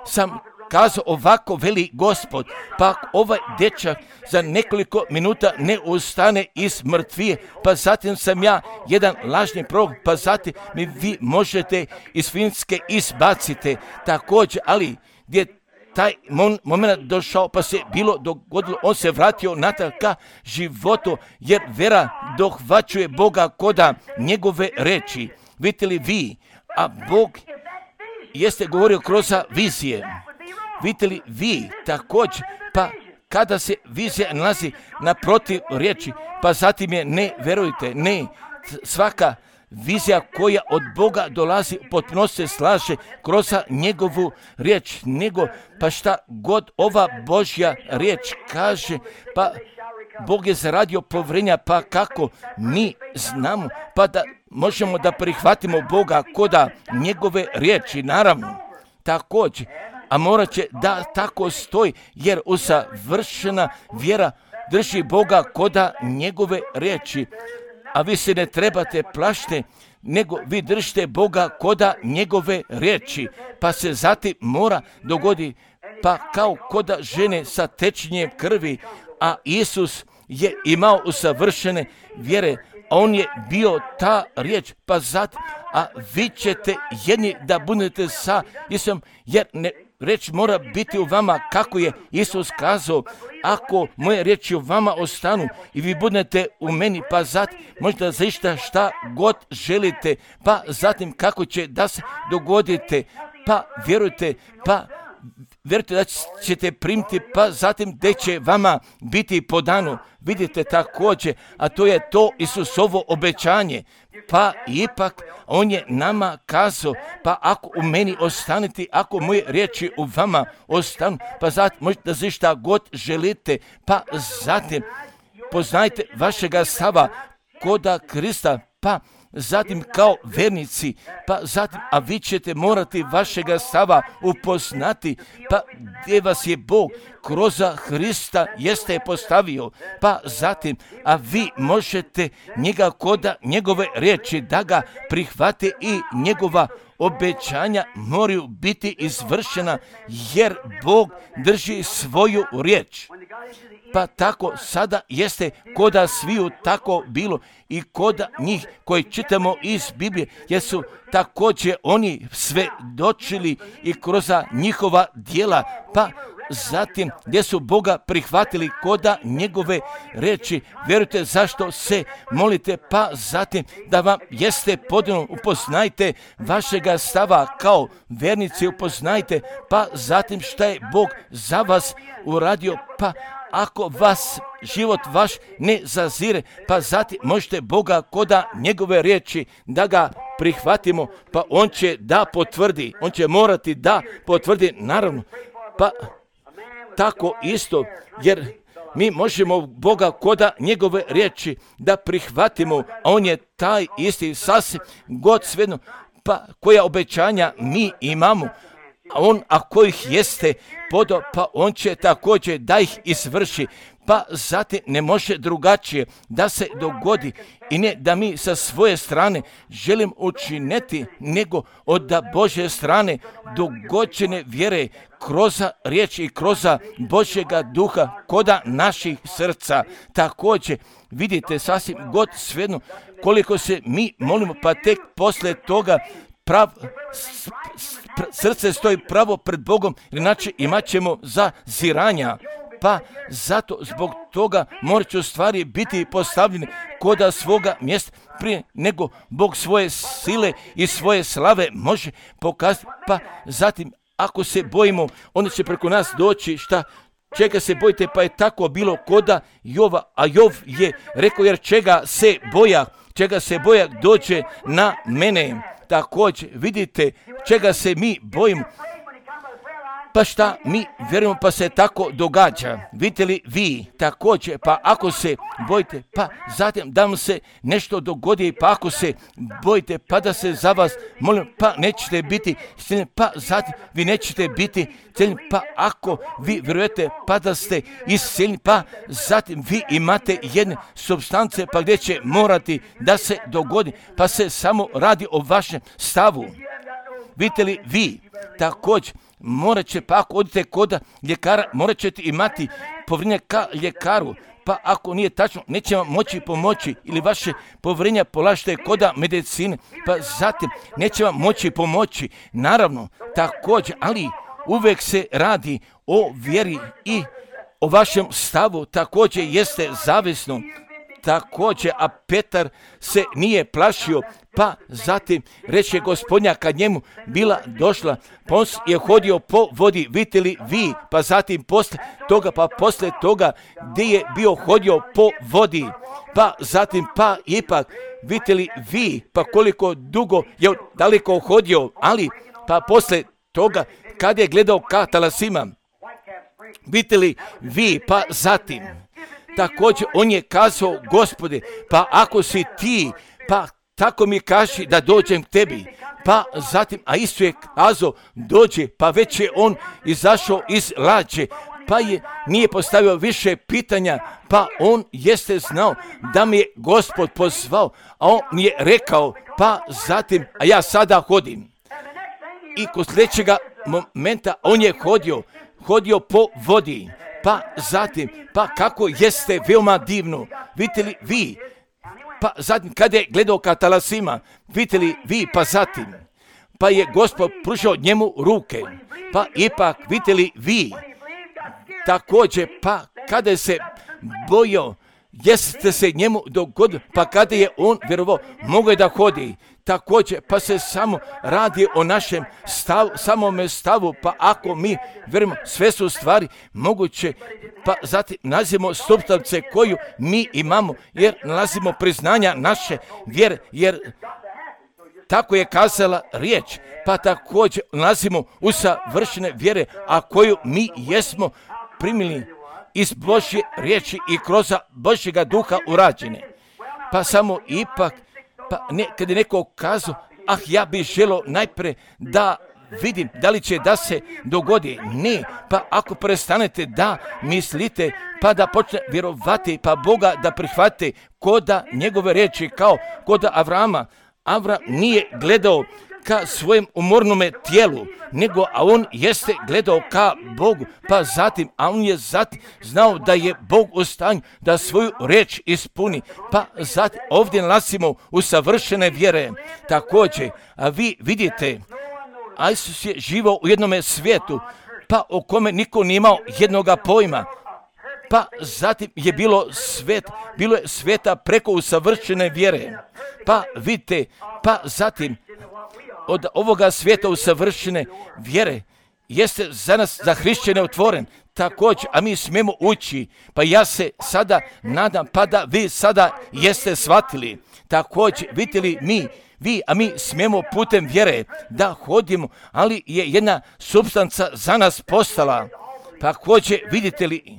sam kazao ovako, veli Gospod, pa ovaj dečak za nekoliko minuta ne ustane iz mrtvije, pa zatim sam ja jedan lažni prorok, pa zatim mi vi možete iz Finske izbacite, također, ali gdje taj moment došao, pa se bilo dogodilo, on se vratio natrag ka životu, jer vera dohvaćuje Boga koda njegove reči. Vidite li vi, a Bog jeste govorio kroz vizije. Vidite li vi također, pa kada se vizija nalazi naprotiv riječi, pa zatim je ne verujte, ne, svaka vizija koja od Boga dolazi potpuno se slaže kroz njegovu riječ, pa šta god ova Božja riječ kaže, pa Bog je zaradio povjerenja, pa kako mi znamo, pa da možemo da prihvatimo Boga koda njegove riječi, naravno, također, a morat će da tako stoji, jer usavršena vjera drži Boga koda njegove riječi. A vi se ne trebate plašiti, nego vi držite Boga koda njegove riječi, pa se zatim mora dogodi, pa kao koda žene sa tečenjem krvi, a Isus je imao usavršene vjere, a on je bio ta riječ, pa zatim, a vi ćete jedni da budete sa Isusom, jer riječ mora biti u vama kako je Isus kazao, ako moje riječi u vama ostanu i vi budete u meni, pa zatim možete zaista šta god želite, pa zatim kako će da se dogodite, pa vjerujte da ćete primiti, pa zatim da će vama biti podano. Vidite također, a to je to Isusovo obećanje, pa ipak on je nama kazao, pa ako u meni ostanete, ako moje riječi u vama ostanu, pa zatim možete da šta god želite, pa zatim poznajte vašega stava koda Krista, pa zatim kao vernici, pa zatim, a vi ćete morati vašega stava upoznati, pa gdje vas je Bog kroz Hrista jeste postavio, pa zatim, a vi možete njega koda njegove riječi da ga prihvate i njegova obećanja moraju biti izvršena, jer Bog drži svoju riječ. Pa tako sada jeste koda sviju tako bilo i koda njih koji čitamo iz Biblije, jer su također oni svedočili i kroz njihova djela, pa zatim gdje su Boga prihvatili koda njegove reči. Vjerujte zašto se molite, pa zatim da vam jeste podano, upoznajte vašega stava kao vernici, upoznajte, pa zatim šta je Bog za vas uradio, pa ako vas život vaš ne zazire, pa zatim možete Boga koda njegove riječi da ga prihvatimo, pa on će da potvrdi, on će morati da potvrdi, naravno, pa tako isto, jer mi možemo Boga koda njegove riječi da prihvatimo, a on je taj isti sasvim god svejedno, pa koja obećanja mi imamo, a on ako ih jeste podao, pa on će također da ih izvrši, pa zatim ne može drugačije da se dogodi i ne da mi sa svoje strane želim učiniti, nego od Božje strane dogođene vjere kroz riječ i kroz Božjega duha koda naših srca. Također vidite sasvim god svejedno koliko se mi molimo, pa tek poslije toga srce stoji pravo pred Bogom, inače imat ćemo zaziranja. Pa zato zbog toga morat će u stvari biti postavljeni koda svoga mjesta prije nego Bog svoje sile i svoje slave može pokazati. Pa zatim ako se bojimo, onda će preko nas doći šta? Čega se bojite, pa je tako bilo koda Jova, a Jov je rekao, jer čega se boja dođe na mene. Također vidite čega se mi bojimo, pa šta mi vjerujemo, pa se tako događa. Vidite li vi također, pa ako se bojite, pa zatim da vam se nešto dogodi, pa ako se bojite, pa da se za vas molim, pa nećete biti cijeljeni, pa zatim vi nećete biti cijeljeni, pa ako vi vjerujete, pa da ste iscijeljeni, pa zatim vi imate jedne supstance, pa gdje će morati da se dogodi, pa se samo radi o vašem stavu. Vidite li vi također, morat će, pa ako odite kod ljekara, morat ćete imati povjerenje ka ljekaru, pa ako nije tačno, neće vam moći pomoći, ili vaše povjerenje polažite koda medicine, pa zatim neće vam moći pomoći, naravno, također, ali uvijek se radi o vjeri i o vašem stavu, također jeste zavisno. Također, a Petar se nije plašio, pa zatim reče Gospodnja kad njemu bila došla, pa on je hodio po vodi, vidite li vi, pa zatim poslije toga gdje je bio hodio po vodi, pa zatim pa ipak, vidite li vi, pa koliko dugo je daleko hodio, ali pa poslije toga kad je gledao ka talasima, vidite li vi, pa zatim također on je kazao, Gospode, pa ako si ti, pa tako mi kaži da dođem k tebi. Pa zatim, a isto je kazao, dođe, pa već je on izašao iz lađe, pa nije postavio više pitanja, pa on jeste znao da mi je Gospod pozvao, a on mi je rekao, pa zatim, a ja sada hodim. I kod sljedećega momenta on je hodio po vodi. Pa zatim, pa kako jeste veoma divno, vidite li vi, pa zatim kada je gledao ka talasima, vidite li vi, pa zatim, pa je Gospod pružio njemu ruke, pa ipak vidite li vi, također, pa kada je se bojao, jeste se njemu dogodilo, pa kada je on vjerovao, mogao je da hodi. Također, pa se samo radi o našem samome stavu, pa ako mi vjerujemo, sve su stvari moguće, pa zatim nalazimo supstance koju mi imamo, jer nalazimo priznanja naše vjere, jer tako je kazala riječ, pa također nalazimo usavršene vjere, a koju mi jesmo primili iz Božje riječi i kroz Božjega duha urađene. Pa samo ipak, Pa kad je neko kazao, ja bih želio najprije da vidim da li će da se dogodi. Ne, pa ako prestanete da mislite, pa da počne vjerovati, pa Boga da prihvate koda njegove riječi, kao koda Avrama. Avram nije gledao ka svojem umornome tijelu, nego a on jeste gledao ka Bogu, pa zatim, a on je zatim znao da je Bog u stanju da svoju riječ ispuni, pa zatim ovdje nalazimo usavršene vjere. Također, a vi vidite, a Isus je živao u jednome svijetu, pa o kome niko nije imao jednoga pojma. Pa zatim je bilo je sveta preko usavršene vjere. Pa vidite, pa zatim od ovoga svijeta usavršene vjere jeste za nas, za hrišćane otvoren. Također, a mi smijemo ući, pa ja se sada nadam, pa da vi sada jeste shvatili. Također, vidite li mi smijemo putem vjere da hodimo, ali je jedna supstanca za nas postala. Također, vidite li,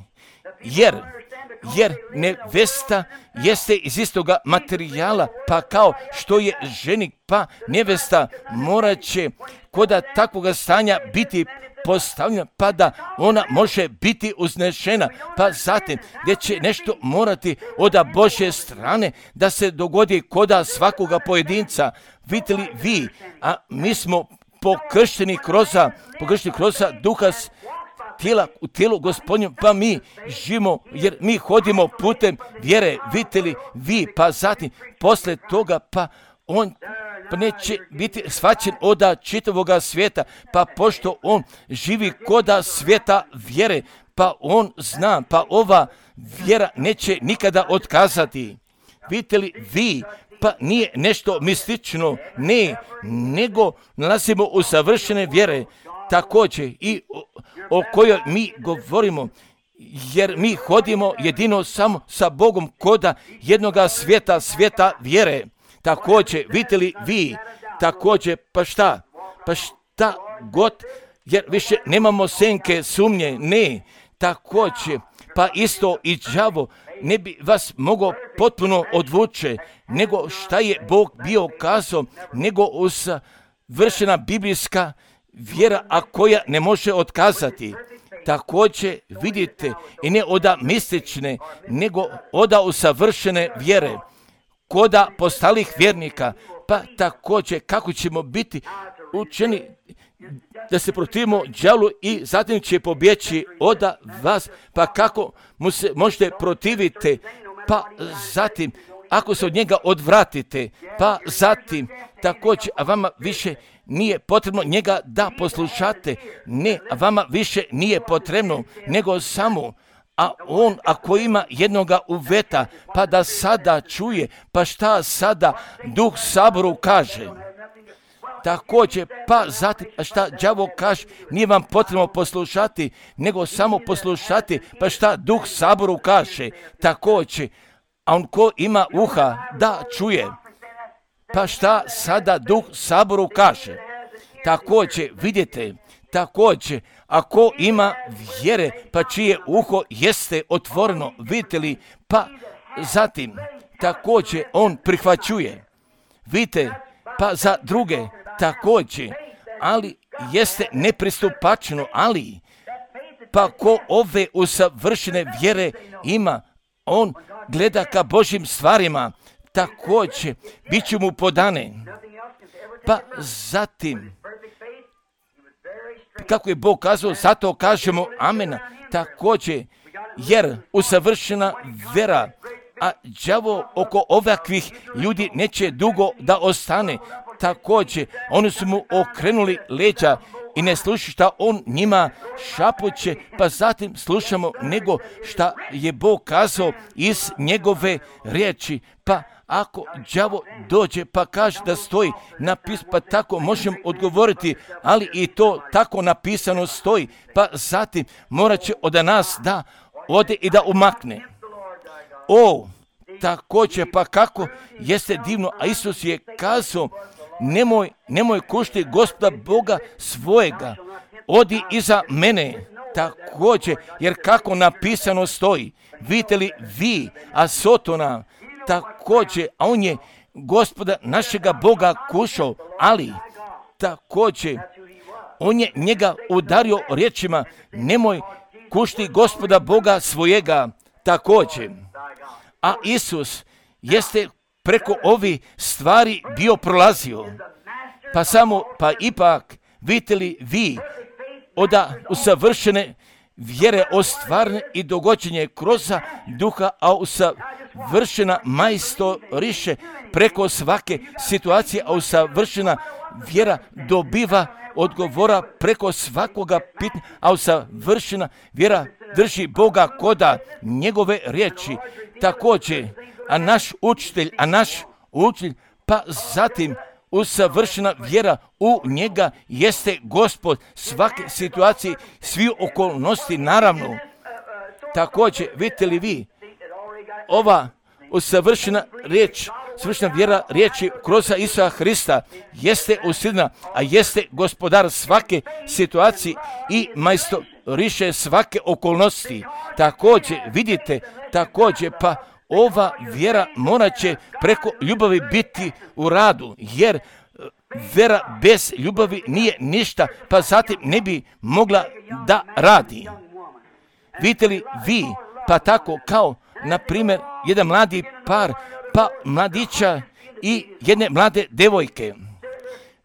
jer nevesta jeste iz istoga materijala, pa kao što je ženik, pa nevesta morat će koda takvoga stanja biti postavljena, pa da ona može biti uznešena, pa zatim gdje će nešto morati od Božje strane da se dogodi koda svakoga pojedinca. Vidite li vi, a mi smo pokršteni kroz duha tijela u tijelu Gospodnju, pa mi živimo, jer mi hodimo putem vjere. Vidite li vi, pa zatim posle toga, pa on neće biti shvaćen od čitavoga svijeta, pa pošto on živi koda svijeta vjere, pa on zna, pa ova vjera neće nikada otkazati. Vidite li vi, pa nije nešto mistično, ne, nego nalazimo u savršene vjere, također i o kojoj mi govorimo, jer mi hodimo jedino samo sa Bogom koda jednoga svijeta vjere. Također, vidite li vi, također, pa šta god, jer više nemamo senke sumnje, ne, također, pa isto i đavo ne bi vas mogao potpuno odvuče, nego šta je Bog bio kazao, nego usavršena biblijska vjera, a koja ne može otkazati. Također vidite, i ne oda mistične, nego oda usavršene vjere, koda postalih vjernika, pa također kako ćemo biti učeni da se protivimo đavlu i zatim će pobjeći od vas, pa kako mu se možete protiviti, pa zatim ako se od njega odvratite, pa zatim također, a vama više nije potrebno njega da poslušate, ne, a vama više nije potrebno, nego samo, a on ako ima jednoga uveta, pa da sada čuje, pa šta sada Duh Saboru kaže. Također, pa zatim, a šta đavo kaže, nije vam potrebno poslušati, nego samo poslušati, pa šta Duh Saboru kaže. Također, a on ko ima uha da čuje, pa šta sada Duh Saboru kaže. Također, vidite, također, ako ima vjere, pa čije uho jeste otvoreno, vidite li, pa zatim, također, on prihvaćuje. Vidite, pa za druge, također, ali jeste nepristupačno, ali, pa ko ove usavršene vjere ima, on gleda ka Božjim stvarima, također, bit će mu podane. Pa zatim, kako je Bog kazao, zato kažemo amena, također, jer usavršena vera, a đavo oko ovakvih ljudi neće dugo da ostane. Također, oni su mu okrenuli leđa i ne slušaju šta on njima šapuće, pa zatim slušamo nego šta je Bog kazao iz njegove riječi. Pa ako đavo dođe pa kaže da stoji napis, pa tako možemo odgovoriti, ali i to tako napisano stoji, pa zatim morat će od nas da ode i da umakne. Također, pa kako jeste divno, a Isus je kazao, nemoj kušti Gospoda Boga svojega, odi iza mene. Također, jer kako napisano stoji, vidite li vi, a Sotona, također, a on je Gospoda našega Boga kušao, ali također on je njega udario riječima, nemoj kušti Gospoda Boga svojega također. A Isus jeste preko ovih stvari bio prolazio. Pa ipak, vidite li vi od usavršene vjere ostvarne i dogođenje kroz duha, a usavršena majstoriše preko svake situacije, a usavršena vjera dobiva odgovora preko svakoga pitanja, a usavršena vjera drži Boga koda njegove riječi. Također, a naš učitelj, pa zatim usavršena vjera u njega jeste Gospod svake situacije, svi okolnosti naravno. Također, vidite li vi, ova usavršena riječ, savršena vjera riječi kroz Isusa Hrista jeste usidna, a jeste gospodar svake situacije i majstoriše svake okolnosti. Također, vidite, pa ova vjera morat će preko ljubavi biti u radu, jer vjera bez ljubavi nije ništa, pa zatim ne bi mogla da radi. Vidite li vi, pa tako kao, na primjer, jedan mladi par, pa mladića i jedne mlade devojke.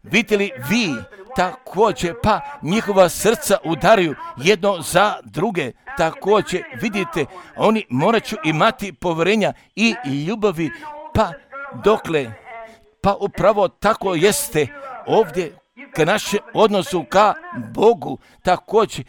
Vidite li vi, također, pa njihova srca udaraju jedno za druge. Također, vidite, oni morat će imati povjerenja i ljubavi, pa dokle, pa upravo tako jeste ovdje ka našem odnosu ka Bogu. Također,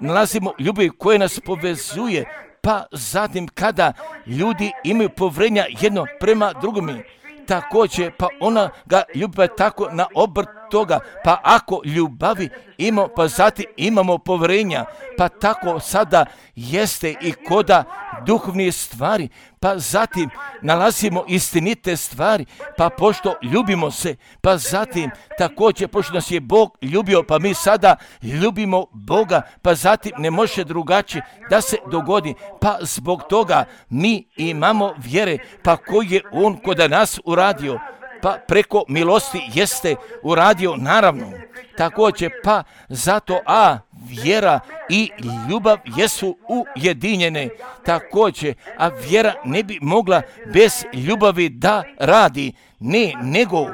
nalazimo ljubav koja nas povezuje, pa zatim kada ljudi imaju povjerenja jedno prema drugome, također, pa ona ga ljubav tako na obrt toga, pa ako ljubavi imamo, pa zatim imamo povjerenja, pa tako sada jeste i koda duhovnih stvari, pa zatim nalazimo istinite stvari, pa pošto ljubimo se, pa zatim također pošto nas je Bog ljubio, pa mi sada ljubimo Boga, pa zatim ne može drugačije da se dogodi, pa zbog toga mi imamo vjere, pa koji je on kod nas uradio, pa preko milosti jeste uradio naravno. Također, pa zato vjera i ljubav jesu ujedinjene. Također, a vjera ne bi mogla bez ljubavi da radi. Ne, nego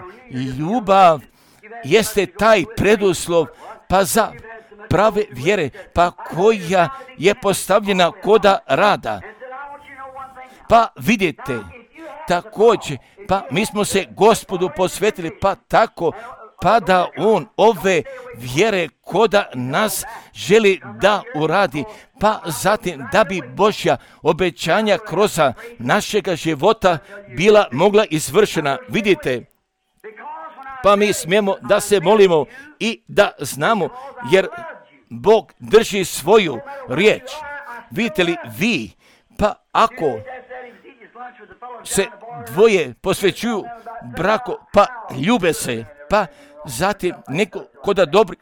ljubav jeste taj preduslov, pa za prave vjere, pa koja je postavljena koda rada. Pa vidite, također, pa mi smo se Gospodu posvetili, pa tako, pa da on ove vjere koda nas želi da uradi, pa zatim da bi Božja obećanja kroz našega života bila mogla izvršena. Vidite, pa mi smijemo da se molimo i da znamo, jer Bog drži svoju riječ. Vidite li vi, pa ako se dvoje posvećuju braku, pa ljube se, pa zatim neko koda dobri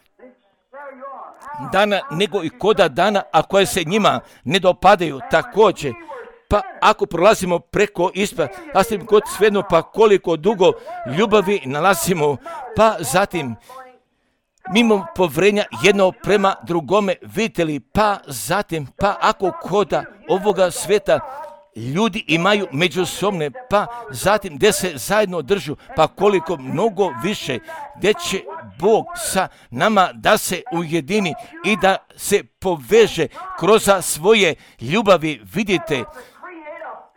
dana, nego i koda dana, a koje se njima ne dopadaju također. Pa ako prolazimo preko ispa, a s tim kod svejedno, pa koliko dugo ljubavi nalazimo, pa zatim mimo povjerenja jedno prema drugome, vidite li, pa zatim, pa ako koda ovoga sveta ljudi imaju međusobne, pa zatim gdje se zajedno držu, pa koliko mnogo više, gdje će Bog sa nama da se ujedini i da se poveže kroz svoje ljubavi, vidite,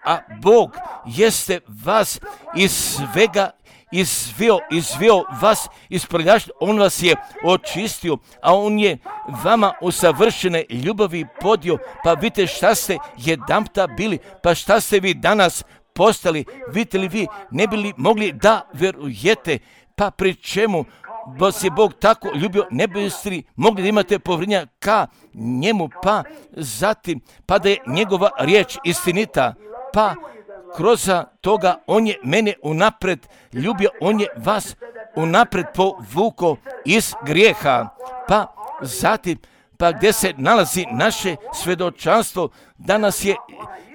a Bog jeste vas iz svega izveo vas iz prljaštva, on vas je očistio, a on je vama u savršene ljubavi podio, pa vidite šta ste jedanputa bili, pa šta ste vi danas postali, vidite li vi, ne bi li mogli da vjerujete, pa pri čemu vas je Bog tako ljubio, ne biste li mogli da imate povjerenja ka njemu, pa zatim, pa da je njegova riječ istinita, pa kroz toga on je mene unapred ljubio, on je vas unapred povukao iz grijeha, pa zatim, pa gdje se nalazi naše svjedočanstvo da nas je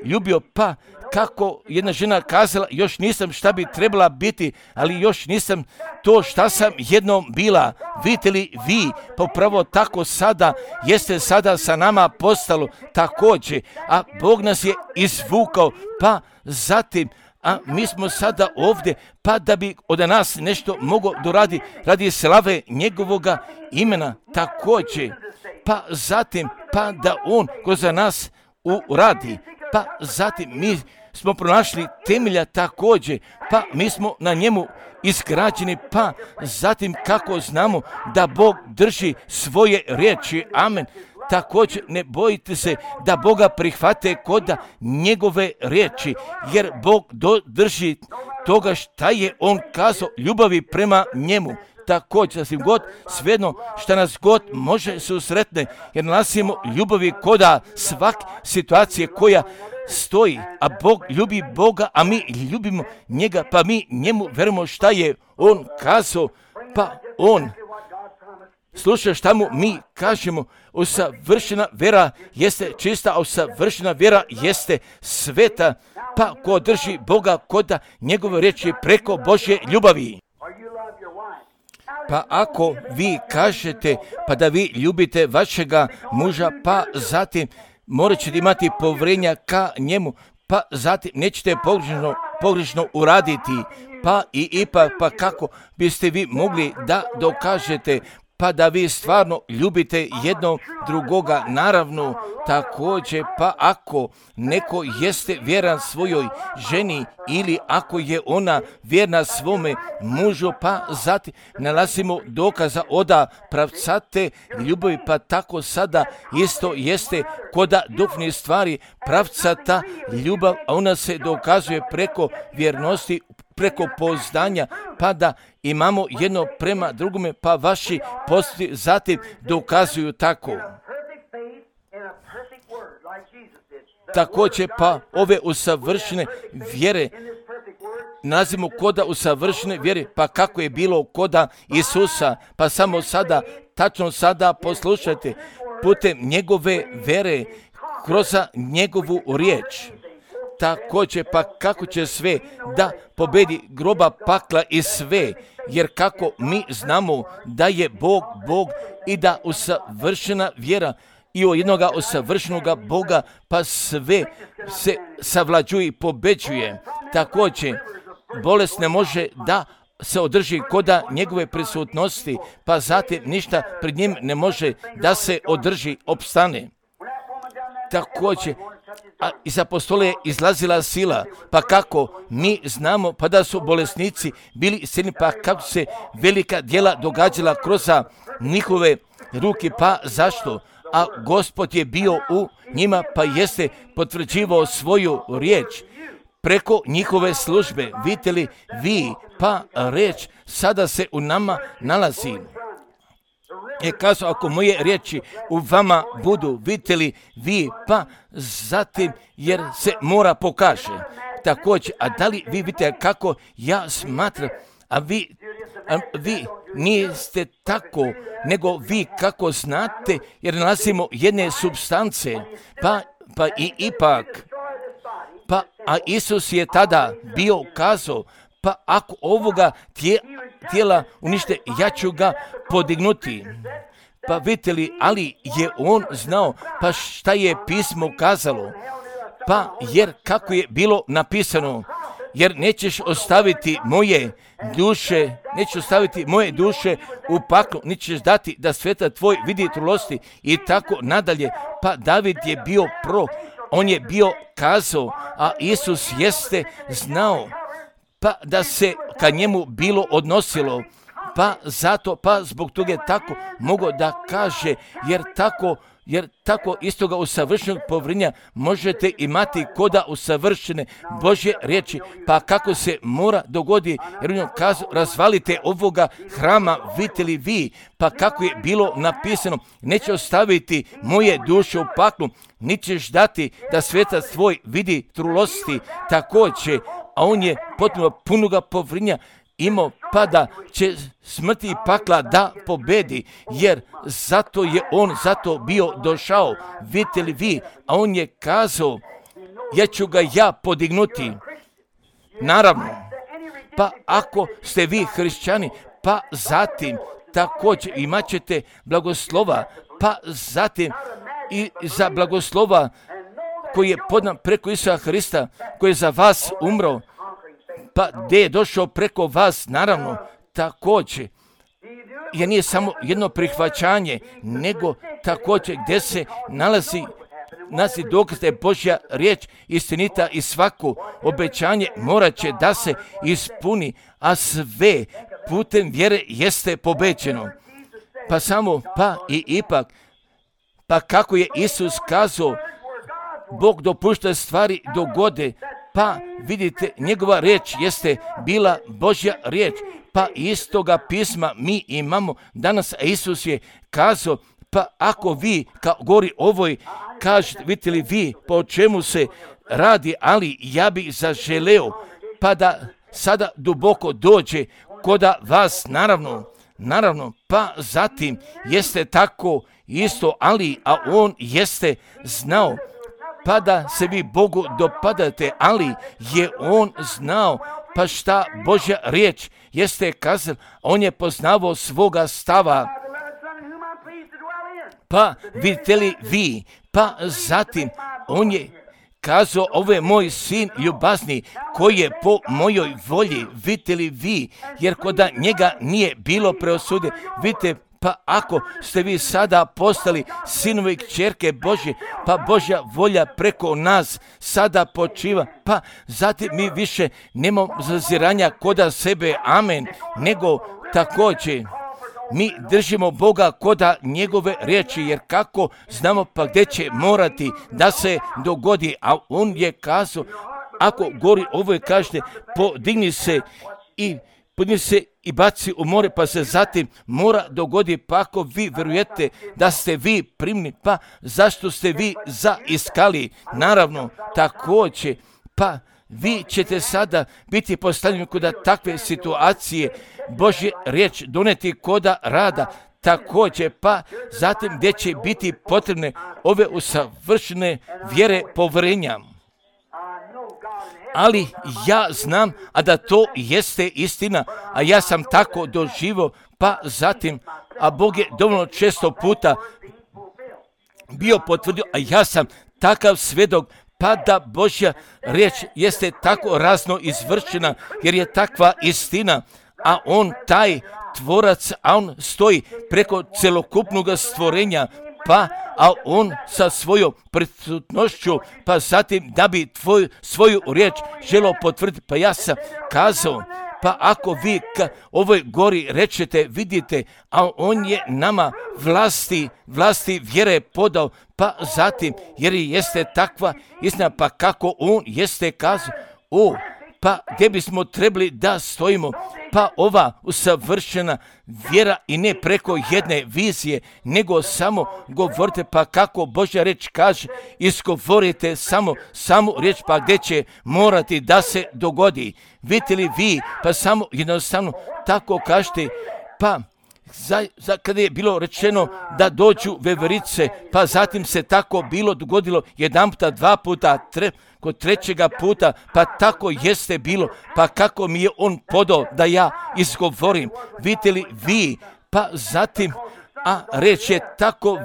ljubio, pa kako jedna žena kazala, još nisam šta bi trebala biti, ali još nisam to šta sam jednom bila. Vidite li vi, pa upravo tako sada, jeste sada sa nama postalo također, a Bog nas je izvukao, pa zatim, a mi smo sada ovdje, pa da bi od nas nešto mogao doradi radi slave njegovoga imena također, pa zatim, pa da on kroz nas uradi, pa zatim mi smo pronašli temelja također, pa mi smo na njemu izgrađeni, pa zatim kako znamo da Bog drži svoje riječi, amen. Također ne bojite se da Boga prihvate kod njegove riječi, jer Bog drži toga šta je on kazao ljubavi prema njemu. Također, sasvim god, svejedno šta nas god može susretne, jer nalazimo ljubavi koda svak situacije koja stoji, a Bog ljubi Boga, a mi ljubimo njega, pa mi njemu verujemo šta je on kazao, pa on sluša šta mu mi kažemo. Usavršena vera jeste čista, a usavršena vera jeste sveta, pa ko drži Boga koda njegove riječi preko Božje ljubavi. Pa ako vi kažete pa da vi ljubite vašega muža, pa zatim morat ćete imati povjerenja ka njemu, pa zatim nećete pogrešno uraditi, pa i ipak, pa kako biste vi mogli da dokažete pa da vi stvarno ljubite jednog drugoga, naravno također, pa ako neko jeste vjeran svojoj ženi ili ako je ona vjerna svome mužu, pa zatim nalazimo dokaza oda pravcate ljubavi, pa tako sada isto jeste koda duhovnih stvari pravcata ljubav, a ona se dokazuje preko vjernosti, preko poznanja, pa da imamo jedno prema drugome, pa vaši postupci zatim dokazuju tako. Također, pa ove usavršene vjere nazivamo koda usavršene vjere, pa kako je bilo koda Isusa, pa samo sada, tačno sada poslušajte, putem njegove vjere, kroz njegovu riječ. Također, pa kako će sve da pobedi groba, pakla i sve, jer kako mi znamo da je Bog i da usavršena vjera i o jednoga usavršenoga Boga, pa sve se savlađuje i pobeđuje. Također, bolest ne može da se održi koda njegove prisutnosti, pa zatim ništa pred njim ne može da se održi, opstane. Također, a iz apostole je izlazila sila, pa kako mi znamo pa da su bolesnici bili isceljeni, pa kako se velika djela događala kroz njihove ruke, pa zašto? A Gospod je bio u njima, pa jeste potvrđivao svoju riječ preko njihove službe. Vidite li vi, pa riječ sada se u nama nalazi. Je kazao, ako moje riječi u vama budu, vidite li vi, pa zatim, jer se mora pokaže. Također, a da li vi vidite kako ja smatram, a vi niste tako, nego vi kako znate, jer nalazimo jedne supstance, pa i ipak, pa a Isus je tada bio kazao, pa ako ovoga tijela unište, ja ću ga podignuti. Pa vidite li, ali je on znao, pa šta je pismo kazalo, pa jer kako je bilo napisano, jer nećeš ostaviti moje duše u paklu, nećeš dati da sveta tvoj vidi trulosti i tako nadalje. Pa David je bio on je bio kazao, a Isus jeste znao, pa da se ka njemu bilo odnosilo, pa zato, pa zbog toga je tako mogao da kaže, jer tako istoga usavršenog povjerenja možete imati koda usavršene Božje riječi, pa kako se mora dogodi, jer on kaže, razvalite ovoga hrama, vidite li vi, pa kako je bilo napisano, neće ostaviti moje duše u paklu, nećeš dati da svetac tvoj vidi trulosti, također, a on je potpuno punoga povjerenja imao, pa da će smrti i pakla da pobedi, jer zato je on zato bio došao, vidite li vi, a on je kazao, ja ću ga ja podignuti. Naravno, pa ako ste vi hrišćani, pa zatim također imat ćete blagoslova, pa zatim i za blagoslova koji je podan preko Isusa Hrista, koji je za vas umro, pa gdje je došao preko vas, naravno, također. Jer nije samo jedno prihvaćanje, nego također gdje se nalazi dokaz da je Božja riječ istinita i svako obećanje morat će da se ispuni, a sve putem vjere jeste pobeđeno. Pa samo, pa i ipak, pa kako je Isus kazao, Bog dopušta stvari dogode, pa vidite, njegova riječ jeste bila Božja riječ, pa istoga pisma mi imamo danas, a Isus je kazao, pa ako vi, kao govori ovoj, kažete, vidite li vi po čemu se radi, ali ja bih zaželeo, pa da sada duboko dođe koda vas, naravno, pa zatim jeste tako isto, ali, a on jeste znao, pa da se vi Bogu dopadate, ali je on znao, pa šta Božja riječ jeste kazala, on je poznavao svoga stava. Pa vidite li vi, pa zatim on je kazao, ovo je moj sin ljubazni koji je po mojoj volji, vidite li vi, jer koda njega nije bilo preosude, vidite, pa ako ste vi sada postali sinovi i kćerke Božje, pa Božja volja preko nas sada počiva, pa zatim mi više nemamo zaziranja koda sebe, amen, nego također mi držimo Boga koda njegove riječi, jer kako znamo pa gdje će morati da se dogodi, a on je kazao, ako gori ovo je kažete, podigni se i baci u more, pa se zatim mora dogodi, pa ako vi vjerujete da ste vi primni, pa zašto ste vi zaiskali? Naravno, također, pa vi ćete sada biti postavljeni koda takve situacije, Božje riječ doneti koda rada, također, pa zatim gdje će biti potrebne ove usavršene vjere povjerenja. Ali ja znam, a da to jeste istina, a ja sam tako doživio, pa zatim, a Bog je dovoljno često puta bio potvrdio, a ja sam takav svjedok, pa da Božja riječ jeste tako razno izvršena, jer je takva istina, a on taj tvorac, a on stoji preko celokupnog stvorenja, pa a on sa svojom prisutnošću, pa zatim da bi svoju riječ želio potvrditi, pa ja sam kazao, pa ako vi ovoj gori rečete, vidite, a on je nama vlasti vjere podao, pa zatim, jer jeste takva istina, pa kako on jeste kazao, pa gdje bismo trebali da stojimo, pa ova usavršena vjera i ne preko jedne vizije, nego samo govorite, pa kako Božja riječ kaže, izgovorite samo riječ, pa gdje će morati da se dogodi. Vidite li vi, pa samo jednostavno tako kažete, pa kada je bilo rečeno da dođu veverice, pa zatim se tako bilo dogodilo jedan puta, dva puta, kod trećega puta, pa tako jeste bilo, pa kako mi je on podao da ja izgovorim. Vidite li vi, pa zatim, a reč je tako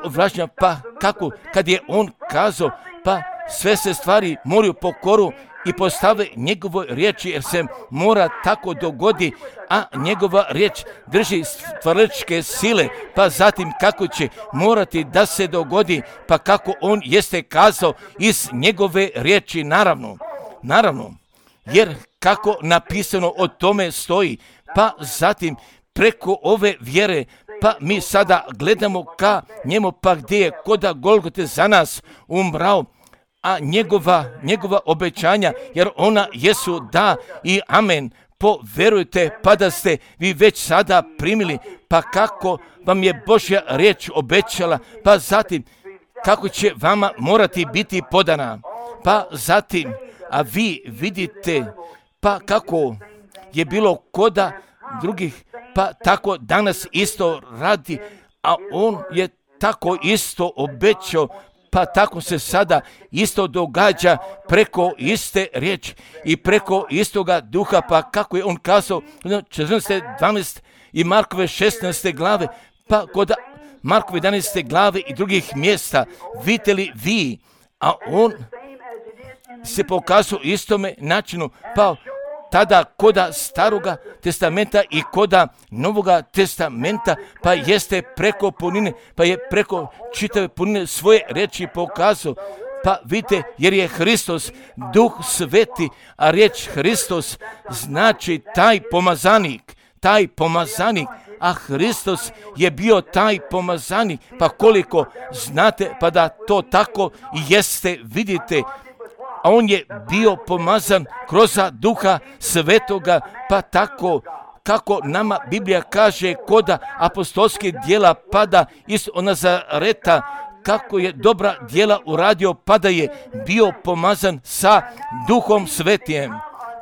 vlažna, pa kako, kad je on kazao, pa sve se stvari moraju po koru i postave njegovoj riječi, jer se mora tako dogodi, a njegova riječ drži stvaralačke sile, pa zatim kako će morati da se dogodi, pa kako on jeste kazao iz njegove riječi, naravno, jer kako napisano o tome stoji, pa zatim preko ove vjere, pa mi sada gledamo ka njemu, pa gdje je koda Golgote za nas umrao, a njegova obećanja, jer ona jesu da i amen, poverujte, pa da ste vi već sada primili, pa kako vam je Božja riječ obećala, pa zatim kako će vama morati biti podana, pa zatim, a vi vidite, pa kako je bilo koda drugih, pa tako danas isto radi, a on je tako isto obećao, Pa tako se sada isto događa preko iste riječi i preko istoga duha, pa kako je on kazao 14.12 i Markove 16. glave, pa kod Markove 11. glave i drugih mjesta, vidite li vi, a on se pokazao istome načinu, pa tada koda staroga testamenta i koda novoga testamenta, pa jeste preko punine, pa je preko čitave punine svoje reči pokazao. Pa vidite, jer je Hristos Duh Sveti, a riječ Hristos znači taj pomazanik, a Hristos je bio taj pomazanik, pa koliko znate, pa da to tako jeste, vidite, a on je bio pomazan kroz Duha Svetoga, pa tako kako nama Biblija kaže koda apostolskih djela pada iz Nazareta, kako je dobra djela uradio, pa da je bio pomazan sa Duhom Svetijem.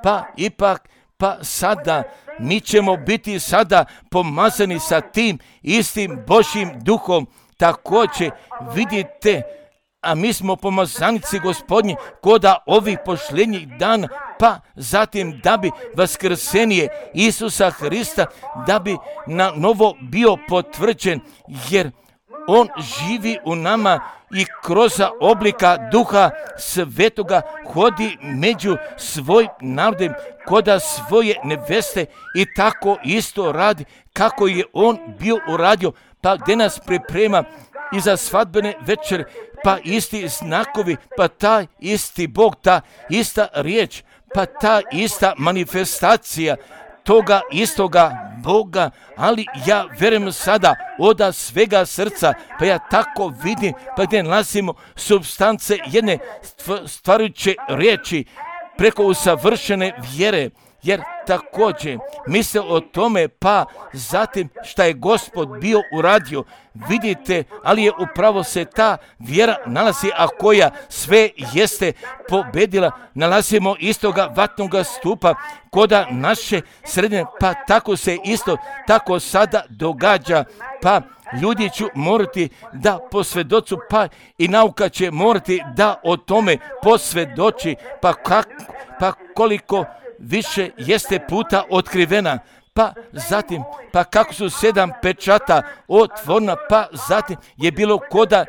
Pa ipak, pa sada mi ćemo biti sada pomazani sa tim istim Božjim Duhom. Također vidite, a mi smo pomazanici Gospodnji koda ovih posljednjih dana, pa zatim da bi vaskrsenje Isusa Hrista, da bi na novo bio potvrđen, jer on živi u nama i kroz oblika Duha Svetoga hodi među svojim narodom koda svoje neveste i tako isto radi kako je on bio uradio, pa gdje nas priprema i za svadbene večer, pa isti znakovi, pa taj isti Bog, ta ista riječ, pa ta ista manifestacija toga istoga Boga, ali ja vjerujem sada od svega srca, pa ja tako vidim, pa gdje nalazimo supstance jedne stvarujuće riječi preko usavršene vjere, jer također misle o tome, pa zatim šta je Gospod bio uradio, vidite, ali je upravo se ta vjera nalazi, a koja sve jeste pobedila, nalazimo istoga vatnoga stupa koda naše sredine, pa tako se isto tako sada događa, pa ljudi će morati da posvjedoču, pa i nauka će morati da o tome posvjedoči, pa koliko više jeste puta otkrivena, pa zatim, pa kako su 7 pečata otvorena, pa zatim je bilo koda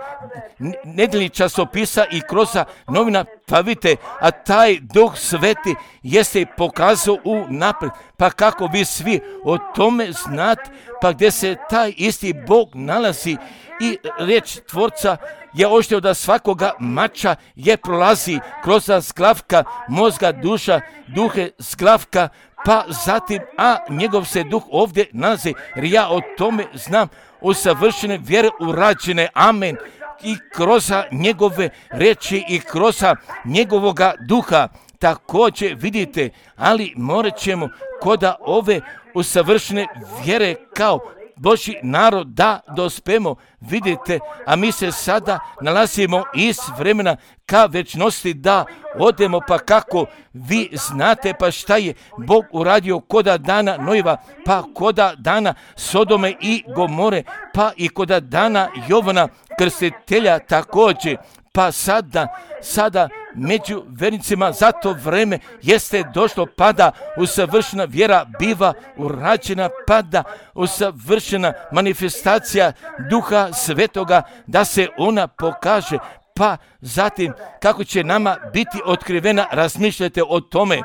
nedeljnih časopisa i kroz novina, pa vidite, a taj Duh Sveti jeste pokazao u napred, pa kako vi svi o tome znate, pa gdje se taj isti Bog nalazi i riječ Tvorca je oštrio da svakoga mača je prolazi kroz zglavka mozga, duša, duhe zglavka, pa zatim, a njegov se duh ovdje nalazi, jer ja o tome znam, usavršene vjere urađene, amen, i kroz njegove reči i kroz njegovoga duha. Također vidite, ali morat ćemo koda ove usavršene vjere kao Božji narod da dospemo, vidite, a mi se sada nalazimo iz vremena ka večnosti da odemo, pa kako vi znate, pa šta je Bog uradio koda dana Nojeva, pa koda dana Sodome i Gomore, pa i koda dana Jovana Krstitelja također, pa sada među vernicima za to vreme jeste došlo, pada usavršena vjera biva urađena, pada usavršena manifestacija Duha Svetoga da se ona pokaže, pa zatim kako će nama biti otkrivena, razmišljajte o tome.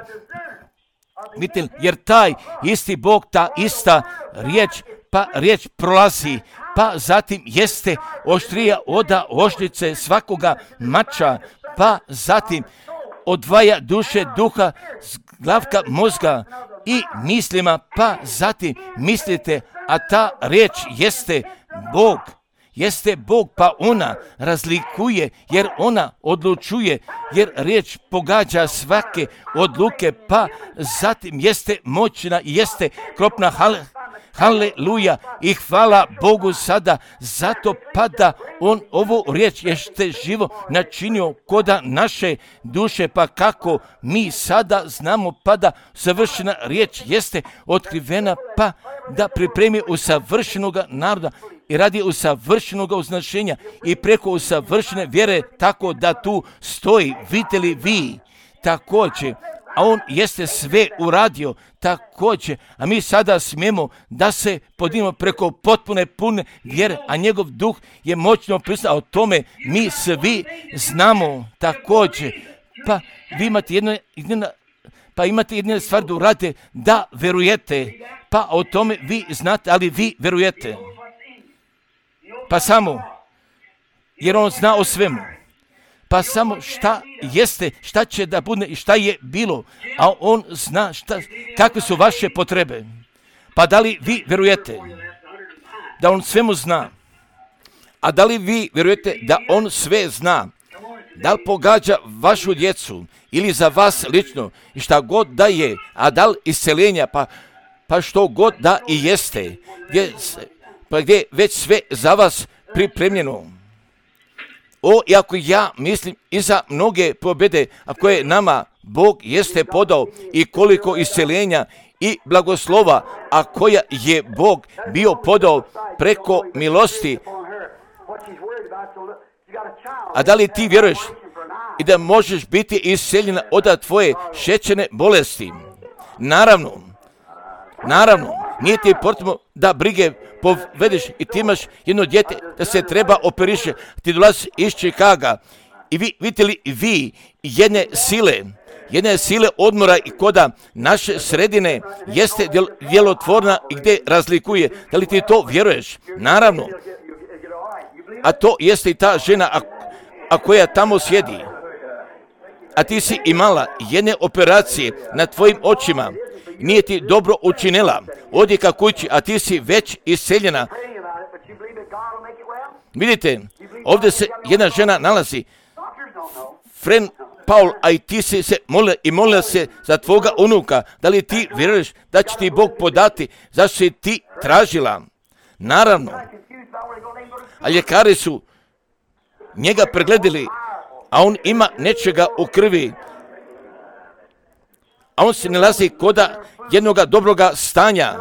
Vidite, jer taj isti Bog, ta ista riječ, pa riječ prolazi, pa zatim jeste oštrija oda oštrice svakoga mača, pa zatim odvaja duše, duha, glavka, mozga i mislima, pa zatim mislite, a ta riječ jeste Bog, pa ona razlikuje, jer ona odlučuje, jer riječ pogađa svake odluke, pa zatim jeste moćna i jeste kropna, haleluja i hvala Bogu sada, zato pada on ovu riječ jeste živo načinio koda naše duše, pa kako mi sada znamo, pada savršena riječ jeste otkrivena, pa da pripremi usavršenoga naroda i radi usavršenog uznašenja i preko usavršene vjere, tako da tu stoji, vidite li vi, također, a on jeste sve uradio također, a mi sada smijemo da se podignemo preko potpune pune vjere, a njegov duh je moćno prisutan, a o tome mi svi znamo također. Pa vi imate jednu stvar da uradite, da verujete, pa o tome vi znate, ali vi verujete. Pa samo, jer on zna o svemu. Pa samo šta jeste, šta će da bude i šta je bilo, a on zna kakve su vaše potrebe. Pa da li vi verujete da on svemu zna? A da li vi verujete da on sve zna? Da li pogađa vašu djecu ili za vas lično i šta god da je, a da li isceljenja, pa što god da i jeste, gdje već sve za vas pripremljeno. I ako ja mislim i za mnoge pobjede, a koje nama Bog jeste podao i koliko isceljenja i blagoslova, a koja je Bog bio podao preko milosti. A da li ti vjeruješ i da možeš biti isceljena od tvoje šećerne bolesti? Naravno, nije ti potrebno da brige povedeš i ti imaš jedno dijete da se treba operiše, ti dolazi iz Čikaga i vidite li vi jedne sile odmora i koda naše sredine jeste djelotvorna i gdje razlikuje. Da li ti to vjeruješ? Naravno. A to jeste i ta žena a koja tamo sjedi. A ti si imala jedne operacije na tvojim očima. Nije ti dobro učinila. Odi ka kući, a ti si već isceljena. Vidite, ovdje se jedna žena nalazi. Friend Paul, a i ti si se molila se za tvoga unuka. Da li ti vjeruješ da će ti Bog podati zašto si ti tražila? Naravno. A ljekari su njega pregledali, a on ima nečega u krvi. A on se nalazi koda jednoga dobroga stanja,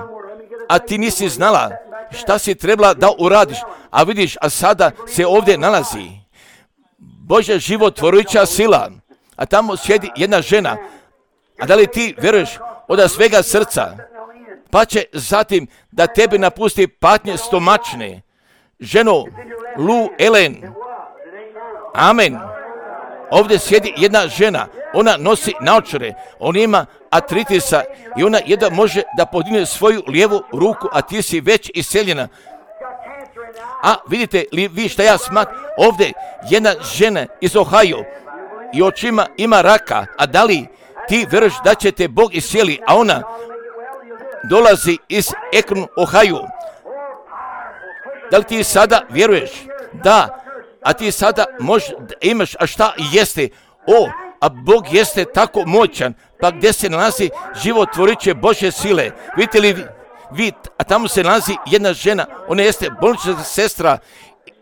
a ti nisi znala šta si trebala da uradiš, a vidiš, a sada se ovdje nalazi Božja životvorujuća sila, a tamo sjedi jedna žena, a da li ti vjeruješ od svega srca, pa će zatim da tebi napusti patnje stomačne, ženo Lu Ellen, amen. Ovdje sjedi jedna žena, ona nosi naočare, ona ima artritisa i ona jedva može da podigne svoju lijevu ruku, a ti si već isceljena. A vidite li vi šta ja smatram? Ovdje jedna žena iz Ohio i očima ima raka, a da li ti vjeruješ da će te Bog iscijeli, a ona dolazi iz Akron, Ohio. Da li ti sada vjeruješ? Da. A ti sada imaš, a šta jeste? A Bog jeste tako moćan, pa gdje se nalazi životvorujuće Božje sile? Vidite li vi, a tamo se nalazi jedna žena, ona jeste bolnička sestra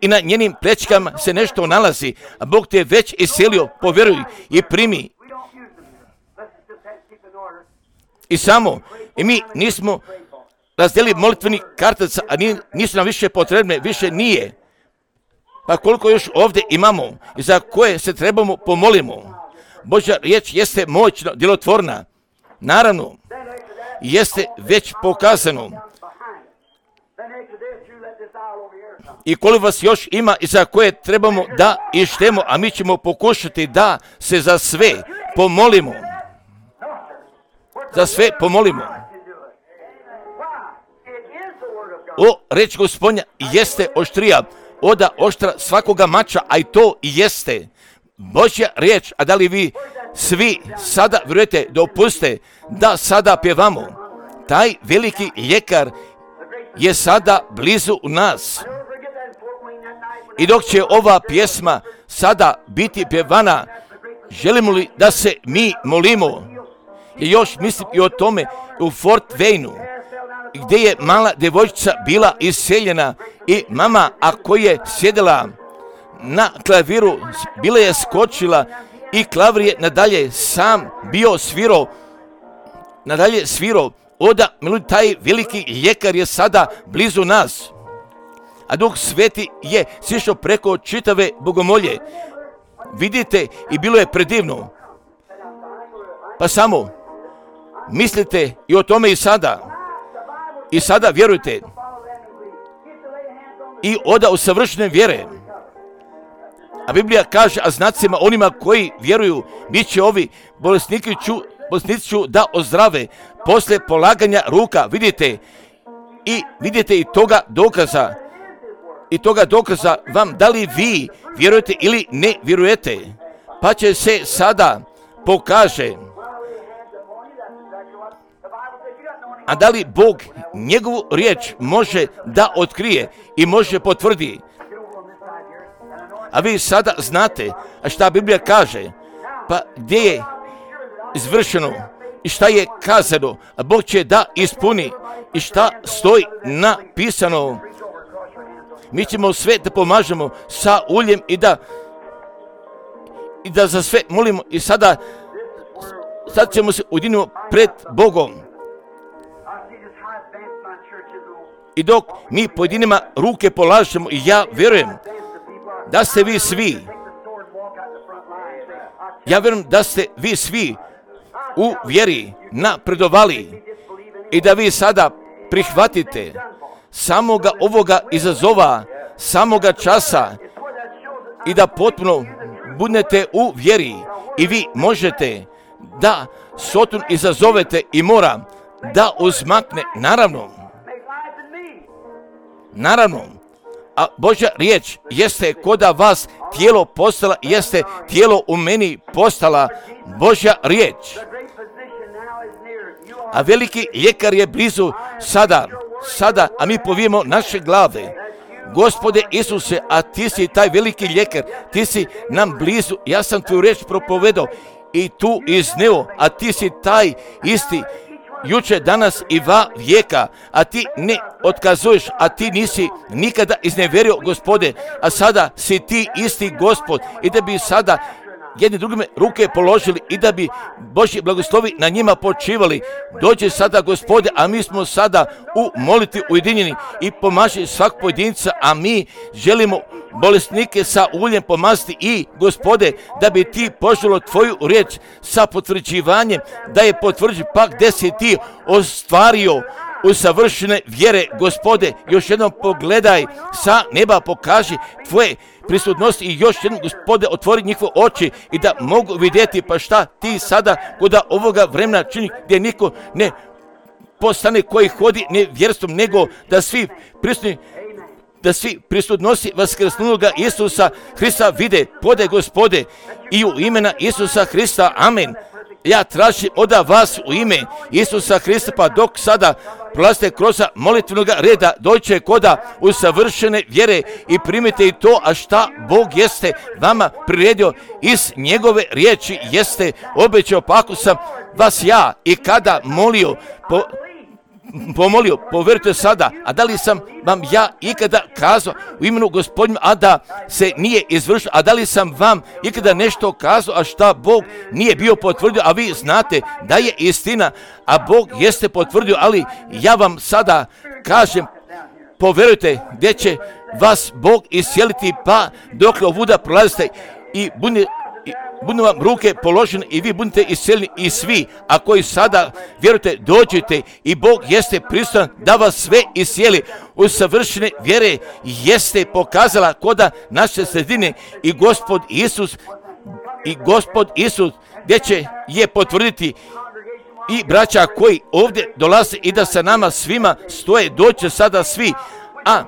i na njenim plećkama se nešto nalazi, a Bog te je već iscelio, povjeruj i primi. I mi nismo razdelili molitveni kartac, a nisu nam više potrebne, više nije. Pa koliko još ovdje imamo i za koje se trebamo pomolimo. Božja riječ jeste moćno, djelotvorna. Naravno, jeste već pokazano. I koliko vas još ima i za koje trebamo da ištemo, a mi ćemo pokušati da se za sve pomolimo. Za sve pomolimo. Reč Gospodnja jeste oštrija oda oštra svakoga mača, a i to jeste Božja riječ. A da li vi svi sada vjerujete da opuste da sada pjevamo? Taj veliki ljekar je sada blizu nas. I dok će ova pjesma sada biti pjevana, želimo li da se mi molimo? I još mislim i o tome u Fort Wayne, gdje je mala djevojčica bila isceljena i mama, a koja je sjedila na klaviru, bila je skočila i klavir je nadalje sam bio svirao. Taj veliki ljekar je sada blizu nas. a Duh Sveti je sišao preko čitave bogomolje. Vidite, i bilo je predivno. Pa samo mislite i o tome i sada. I sada vjerujte. I oda u savršene vjere. A Biblija kaže, a znacima onima koji vjeruju, bit će ovi bolesnici ću da ozdrave poslije polaganja ruka. Vidite i toga dokaza. I toga dokaza vam da li vi vjerujete ili ne vjerujete. Pa će se sada pokaže. A da li Bog njegovu riječ može da otkrije i može potvrdi. A vi sada znate, a šta Biblija kaže, pa gdje je izvršeno i šta je kazano, a Bog će da ispuni i šta stoji napisano. Mi ćemo sve da pomažemo sa uljem i da za sve molimo i sad ćemo se ujediniti pred Bogom. I dok mi pojedinima ruke polažemo, ja vjerujem da ste vi svi, u vjeri napredovali i da vi sada prihvatite samoga ovoga izazova, samoga časa i da potpuno budete u vjeri i vi možete da Sotun izazovete i mora da uzmakne, naravno, a Božja riječ jeste koda vas tijelo postala, jeste tijelo u meni postala Božja riječ. A veliki ljekar je blizu sada, a mi povijemo naše glave. Gospode Isuse, a ti si taj veliki ljekar, ti si nam blizu, ja sam tvoju riječ propovedao i tu izneo, a ti si taj isti juče, danas i va vijeka, a ti ne otkazuješ, a ti nisi nikada izneverio, Gospode, a sada si ti isti Gospod i da bi sada jedni drugime ruke položili i da bi Božji blagoslovi na njima počivali. Dođe sada, Gospode, a mi smo sada u molitvi ujedinjeni i pomaži svak pojedinca, a mi želimo bolesnike sa uljem pomaziti i, Gospode, da bi ti poželo tvoju riječ sa potvrđivanjem, da je potvrđi pa gdje si ti ostvario u savršene vjere, Gospode, još jednom pogledaj sa neba, pokaži tvoje prisutnosti i još jednom, Gospode, otvori njihove oči i da mogu vidjeti pa šta ti sada kod ovoga vremena čini, gdje niko ne postane koji hodi nevjerstvom, nego da svi prisutnosti vaskrsnuloga Isusa Hrista vide, pode, Gospode, i u imena Isusa Hrista, amen. Ja tražim od vas u ime Isusa Hrista, pa dok sada prolazite kroz molitvenog reda, dođe koda u savršene vjere i primite i to, a šta Bog jeste vama priredio iz njegove riječi jeste obećao, pa ako sam vas ja i kada pomolio, povjerujte sada, a da li sam vam ja ikada kazao u imenu Gospodinu, a da se nije izvršilo, a da li sam vam ikada nešto kazao, a šta Bog nije bio potvrdio, a vi znate da je istina, a Bog jeste potvrdio, ali ja vam sada kažem, povjerujte gdje će vas Bog iscijeliti, pa dokle ovuda prolazite i budu vam ruke položene i vi budete iscijeljeni i svi, a koji sada vjerujete, dođite i Bog jeste prisutan da vas sve iscijeli u savršene vjere, jeste pokazala koda naše sredine i Gospod Isus gdje će je potvrditi i braća koji ovdje dolaze i da sa nama svima stoje, doće sada svi, a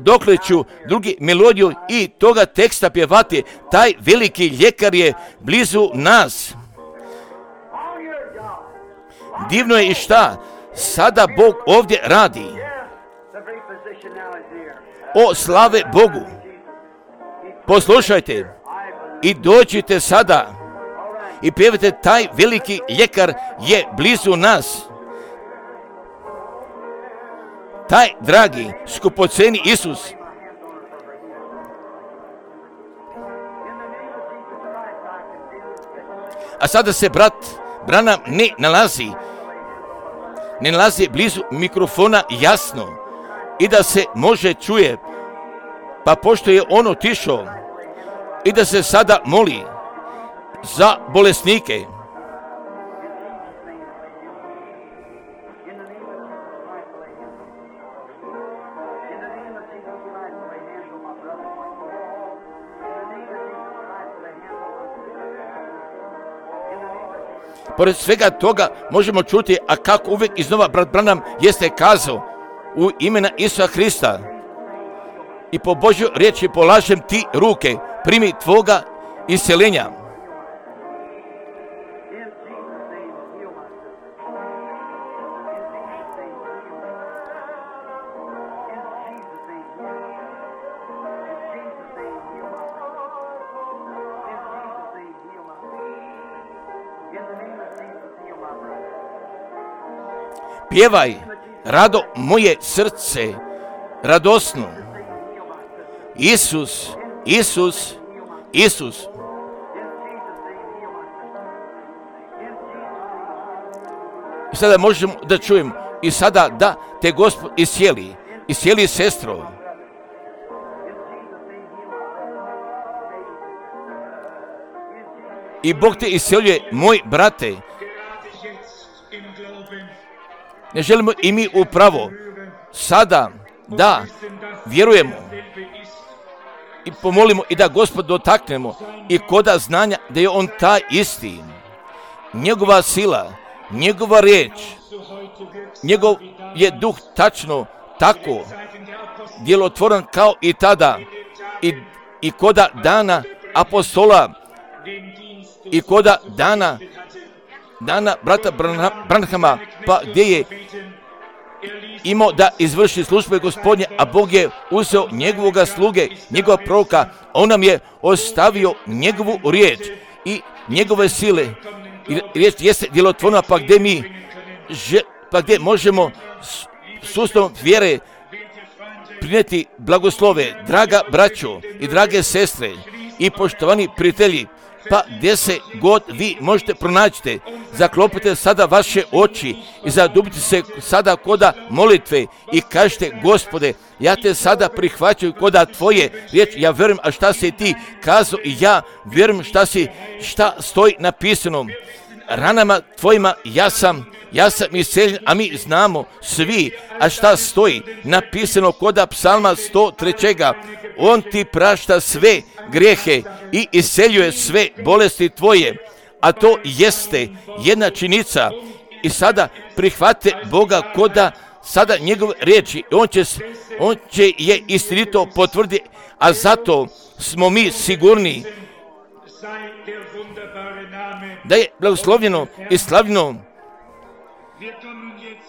dokle ću drugi melodiju i toga teksta pjevati, taj veliki ljekar je blizu nas. Divno je i šta sada Bog ovdje radi. O, slave Bogu! Poslušajte i dođite sada i pjevajte, taj veliki ljekar je blizu nas. Taj dragi, skupoceni Isus. A sada se brat Branham ne nalazi blizu mikrofona jasno. i da se može čuje, pa pošto je on otišao i da se sada moli za bolesnike. Pored svega toga možemo čuti, a kako uvijek iznova brat Branham jeste kazao, u imena Isusa Hrista i po Božjoj riječi polažem ti ruke, primi tvoga isceljenja. Pjevaj, rado moje srce, radosno. Isus, Isus, Isus. I sada možemo da čujemo i sada da te Gospod iscijeli sestro. I Bog te isceljuje, moj brate. Ne želimo i mi upravo sada da vjerujemo i pomolimo i da Gospod dotaknemo i koda znanja da je on taj isti. Njegova sila, njegova riječ, njegov je duh tačno tako djelotvoran kao i tada i koda dana apostola i koda dana brata Branhama, pa gdje je imao da izvrši službe Gospodnje, a Bog je uzeo njegovoga sluge, njegova proroka, on nam je ostavio njegovu riječ i njegove sile. I riječ jeste djelotvorna, pa gdje možemo sustavom vjere prinijeti blagoslove, draga braćo i drage sestre i poštovani prijatelji. Pa gdje se god vi možete pronaći, zaklopite sada vaše oči i zadubite se sada koda molitve i kažete, Gospode, ja te sada prihvaćam koda tvoje riječi, ja vjerujem, a šta si ti kazao i ja vjerujem šta stoji napisano. Ranama tvojima ja sam isceljen, a mi znamo svi, a šta stoji napisano koda psalma 103. On ti prašta sve grijehe i isceljuje sve bolesti tvoje, a to jeste jedna činjenica. I sada prihvate Boga koda sada njegove riječi, on će je istinito potvrditi, a zato smo mi sigurni da je blagoslovljeno i slavljeno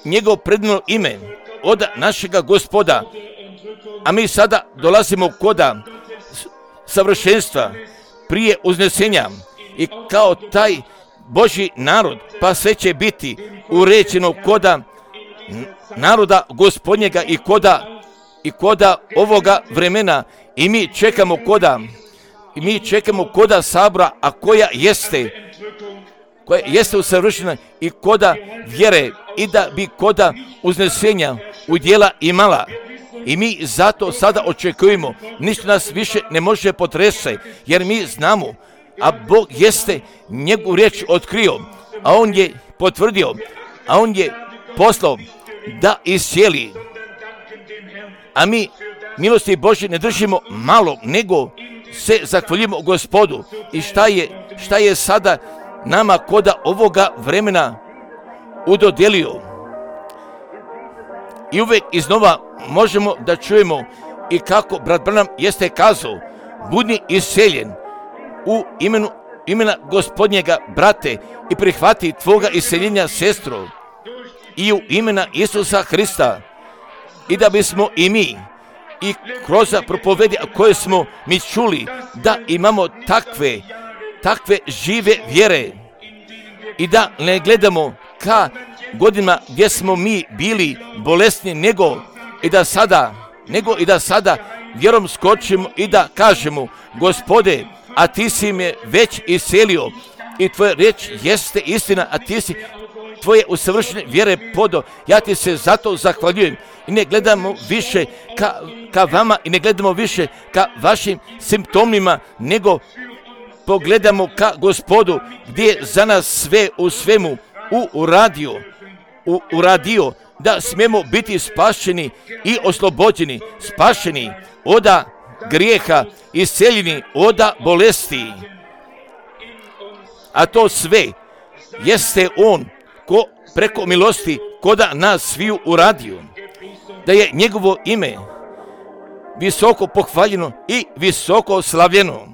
njegov predivno ime od našega Gospoda. A mi sada dolazimo koda savršenstva prije uznesenja i kao taj Božji narod, pa sve će biti uređeno koda naroda Gospodnjega i koda ovoga vremena i mi čekamo koda sabora, a koja jeste usavršena i koda vjere i da bi koda uznesenja udjela imala. I mi zato sada očekujemo, ništa nas više ne može potresti, jer mi znamo, a Bog jeste njegovu riječ otkrio, a on je potvrdio, a on je poslao da iscijeli. A mi milosti Božje ne držimo malo, nego se zahvaljujemo Gospodu. I šta je sada nama koda ovoga vremena udodelio. I uvijek iznova možemo da čujemo i kako brat Branham jeste kazao, budi isceljen u imena Gospodnjega, brate, i prihvati tvoga isceljenja, sestro, i u imena Isusa Hrista, i da bismo i mi i kroz propovedi koje smo mi čuli, da imamo takve žive vjere i da ne gledamo ka godinama gdje smo mi bili bolesni, nego i da sada vjerom skočimo i da kažemo, Gospode, a ti si me već iscelio i tvoja riječ jeste istina, a ti si tvoje usavršene vjere podo. Ja ti se zato zahvaljujem i ne gledamo više ka vama i ne gledamo više ka vašim simptomima, nego pogledamo ka Gospodu gdje je za nas sve u svemu uradio da smijemo biti spašeni i oslobođeni, spašeni od grijeha, isceljeni od bolesti. A to sve jeste On ko preko milosti koda nas sviju uradio, da je njegovo ime visoko pohvaljeno i visoko slavljeno.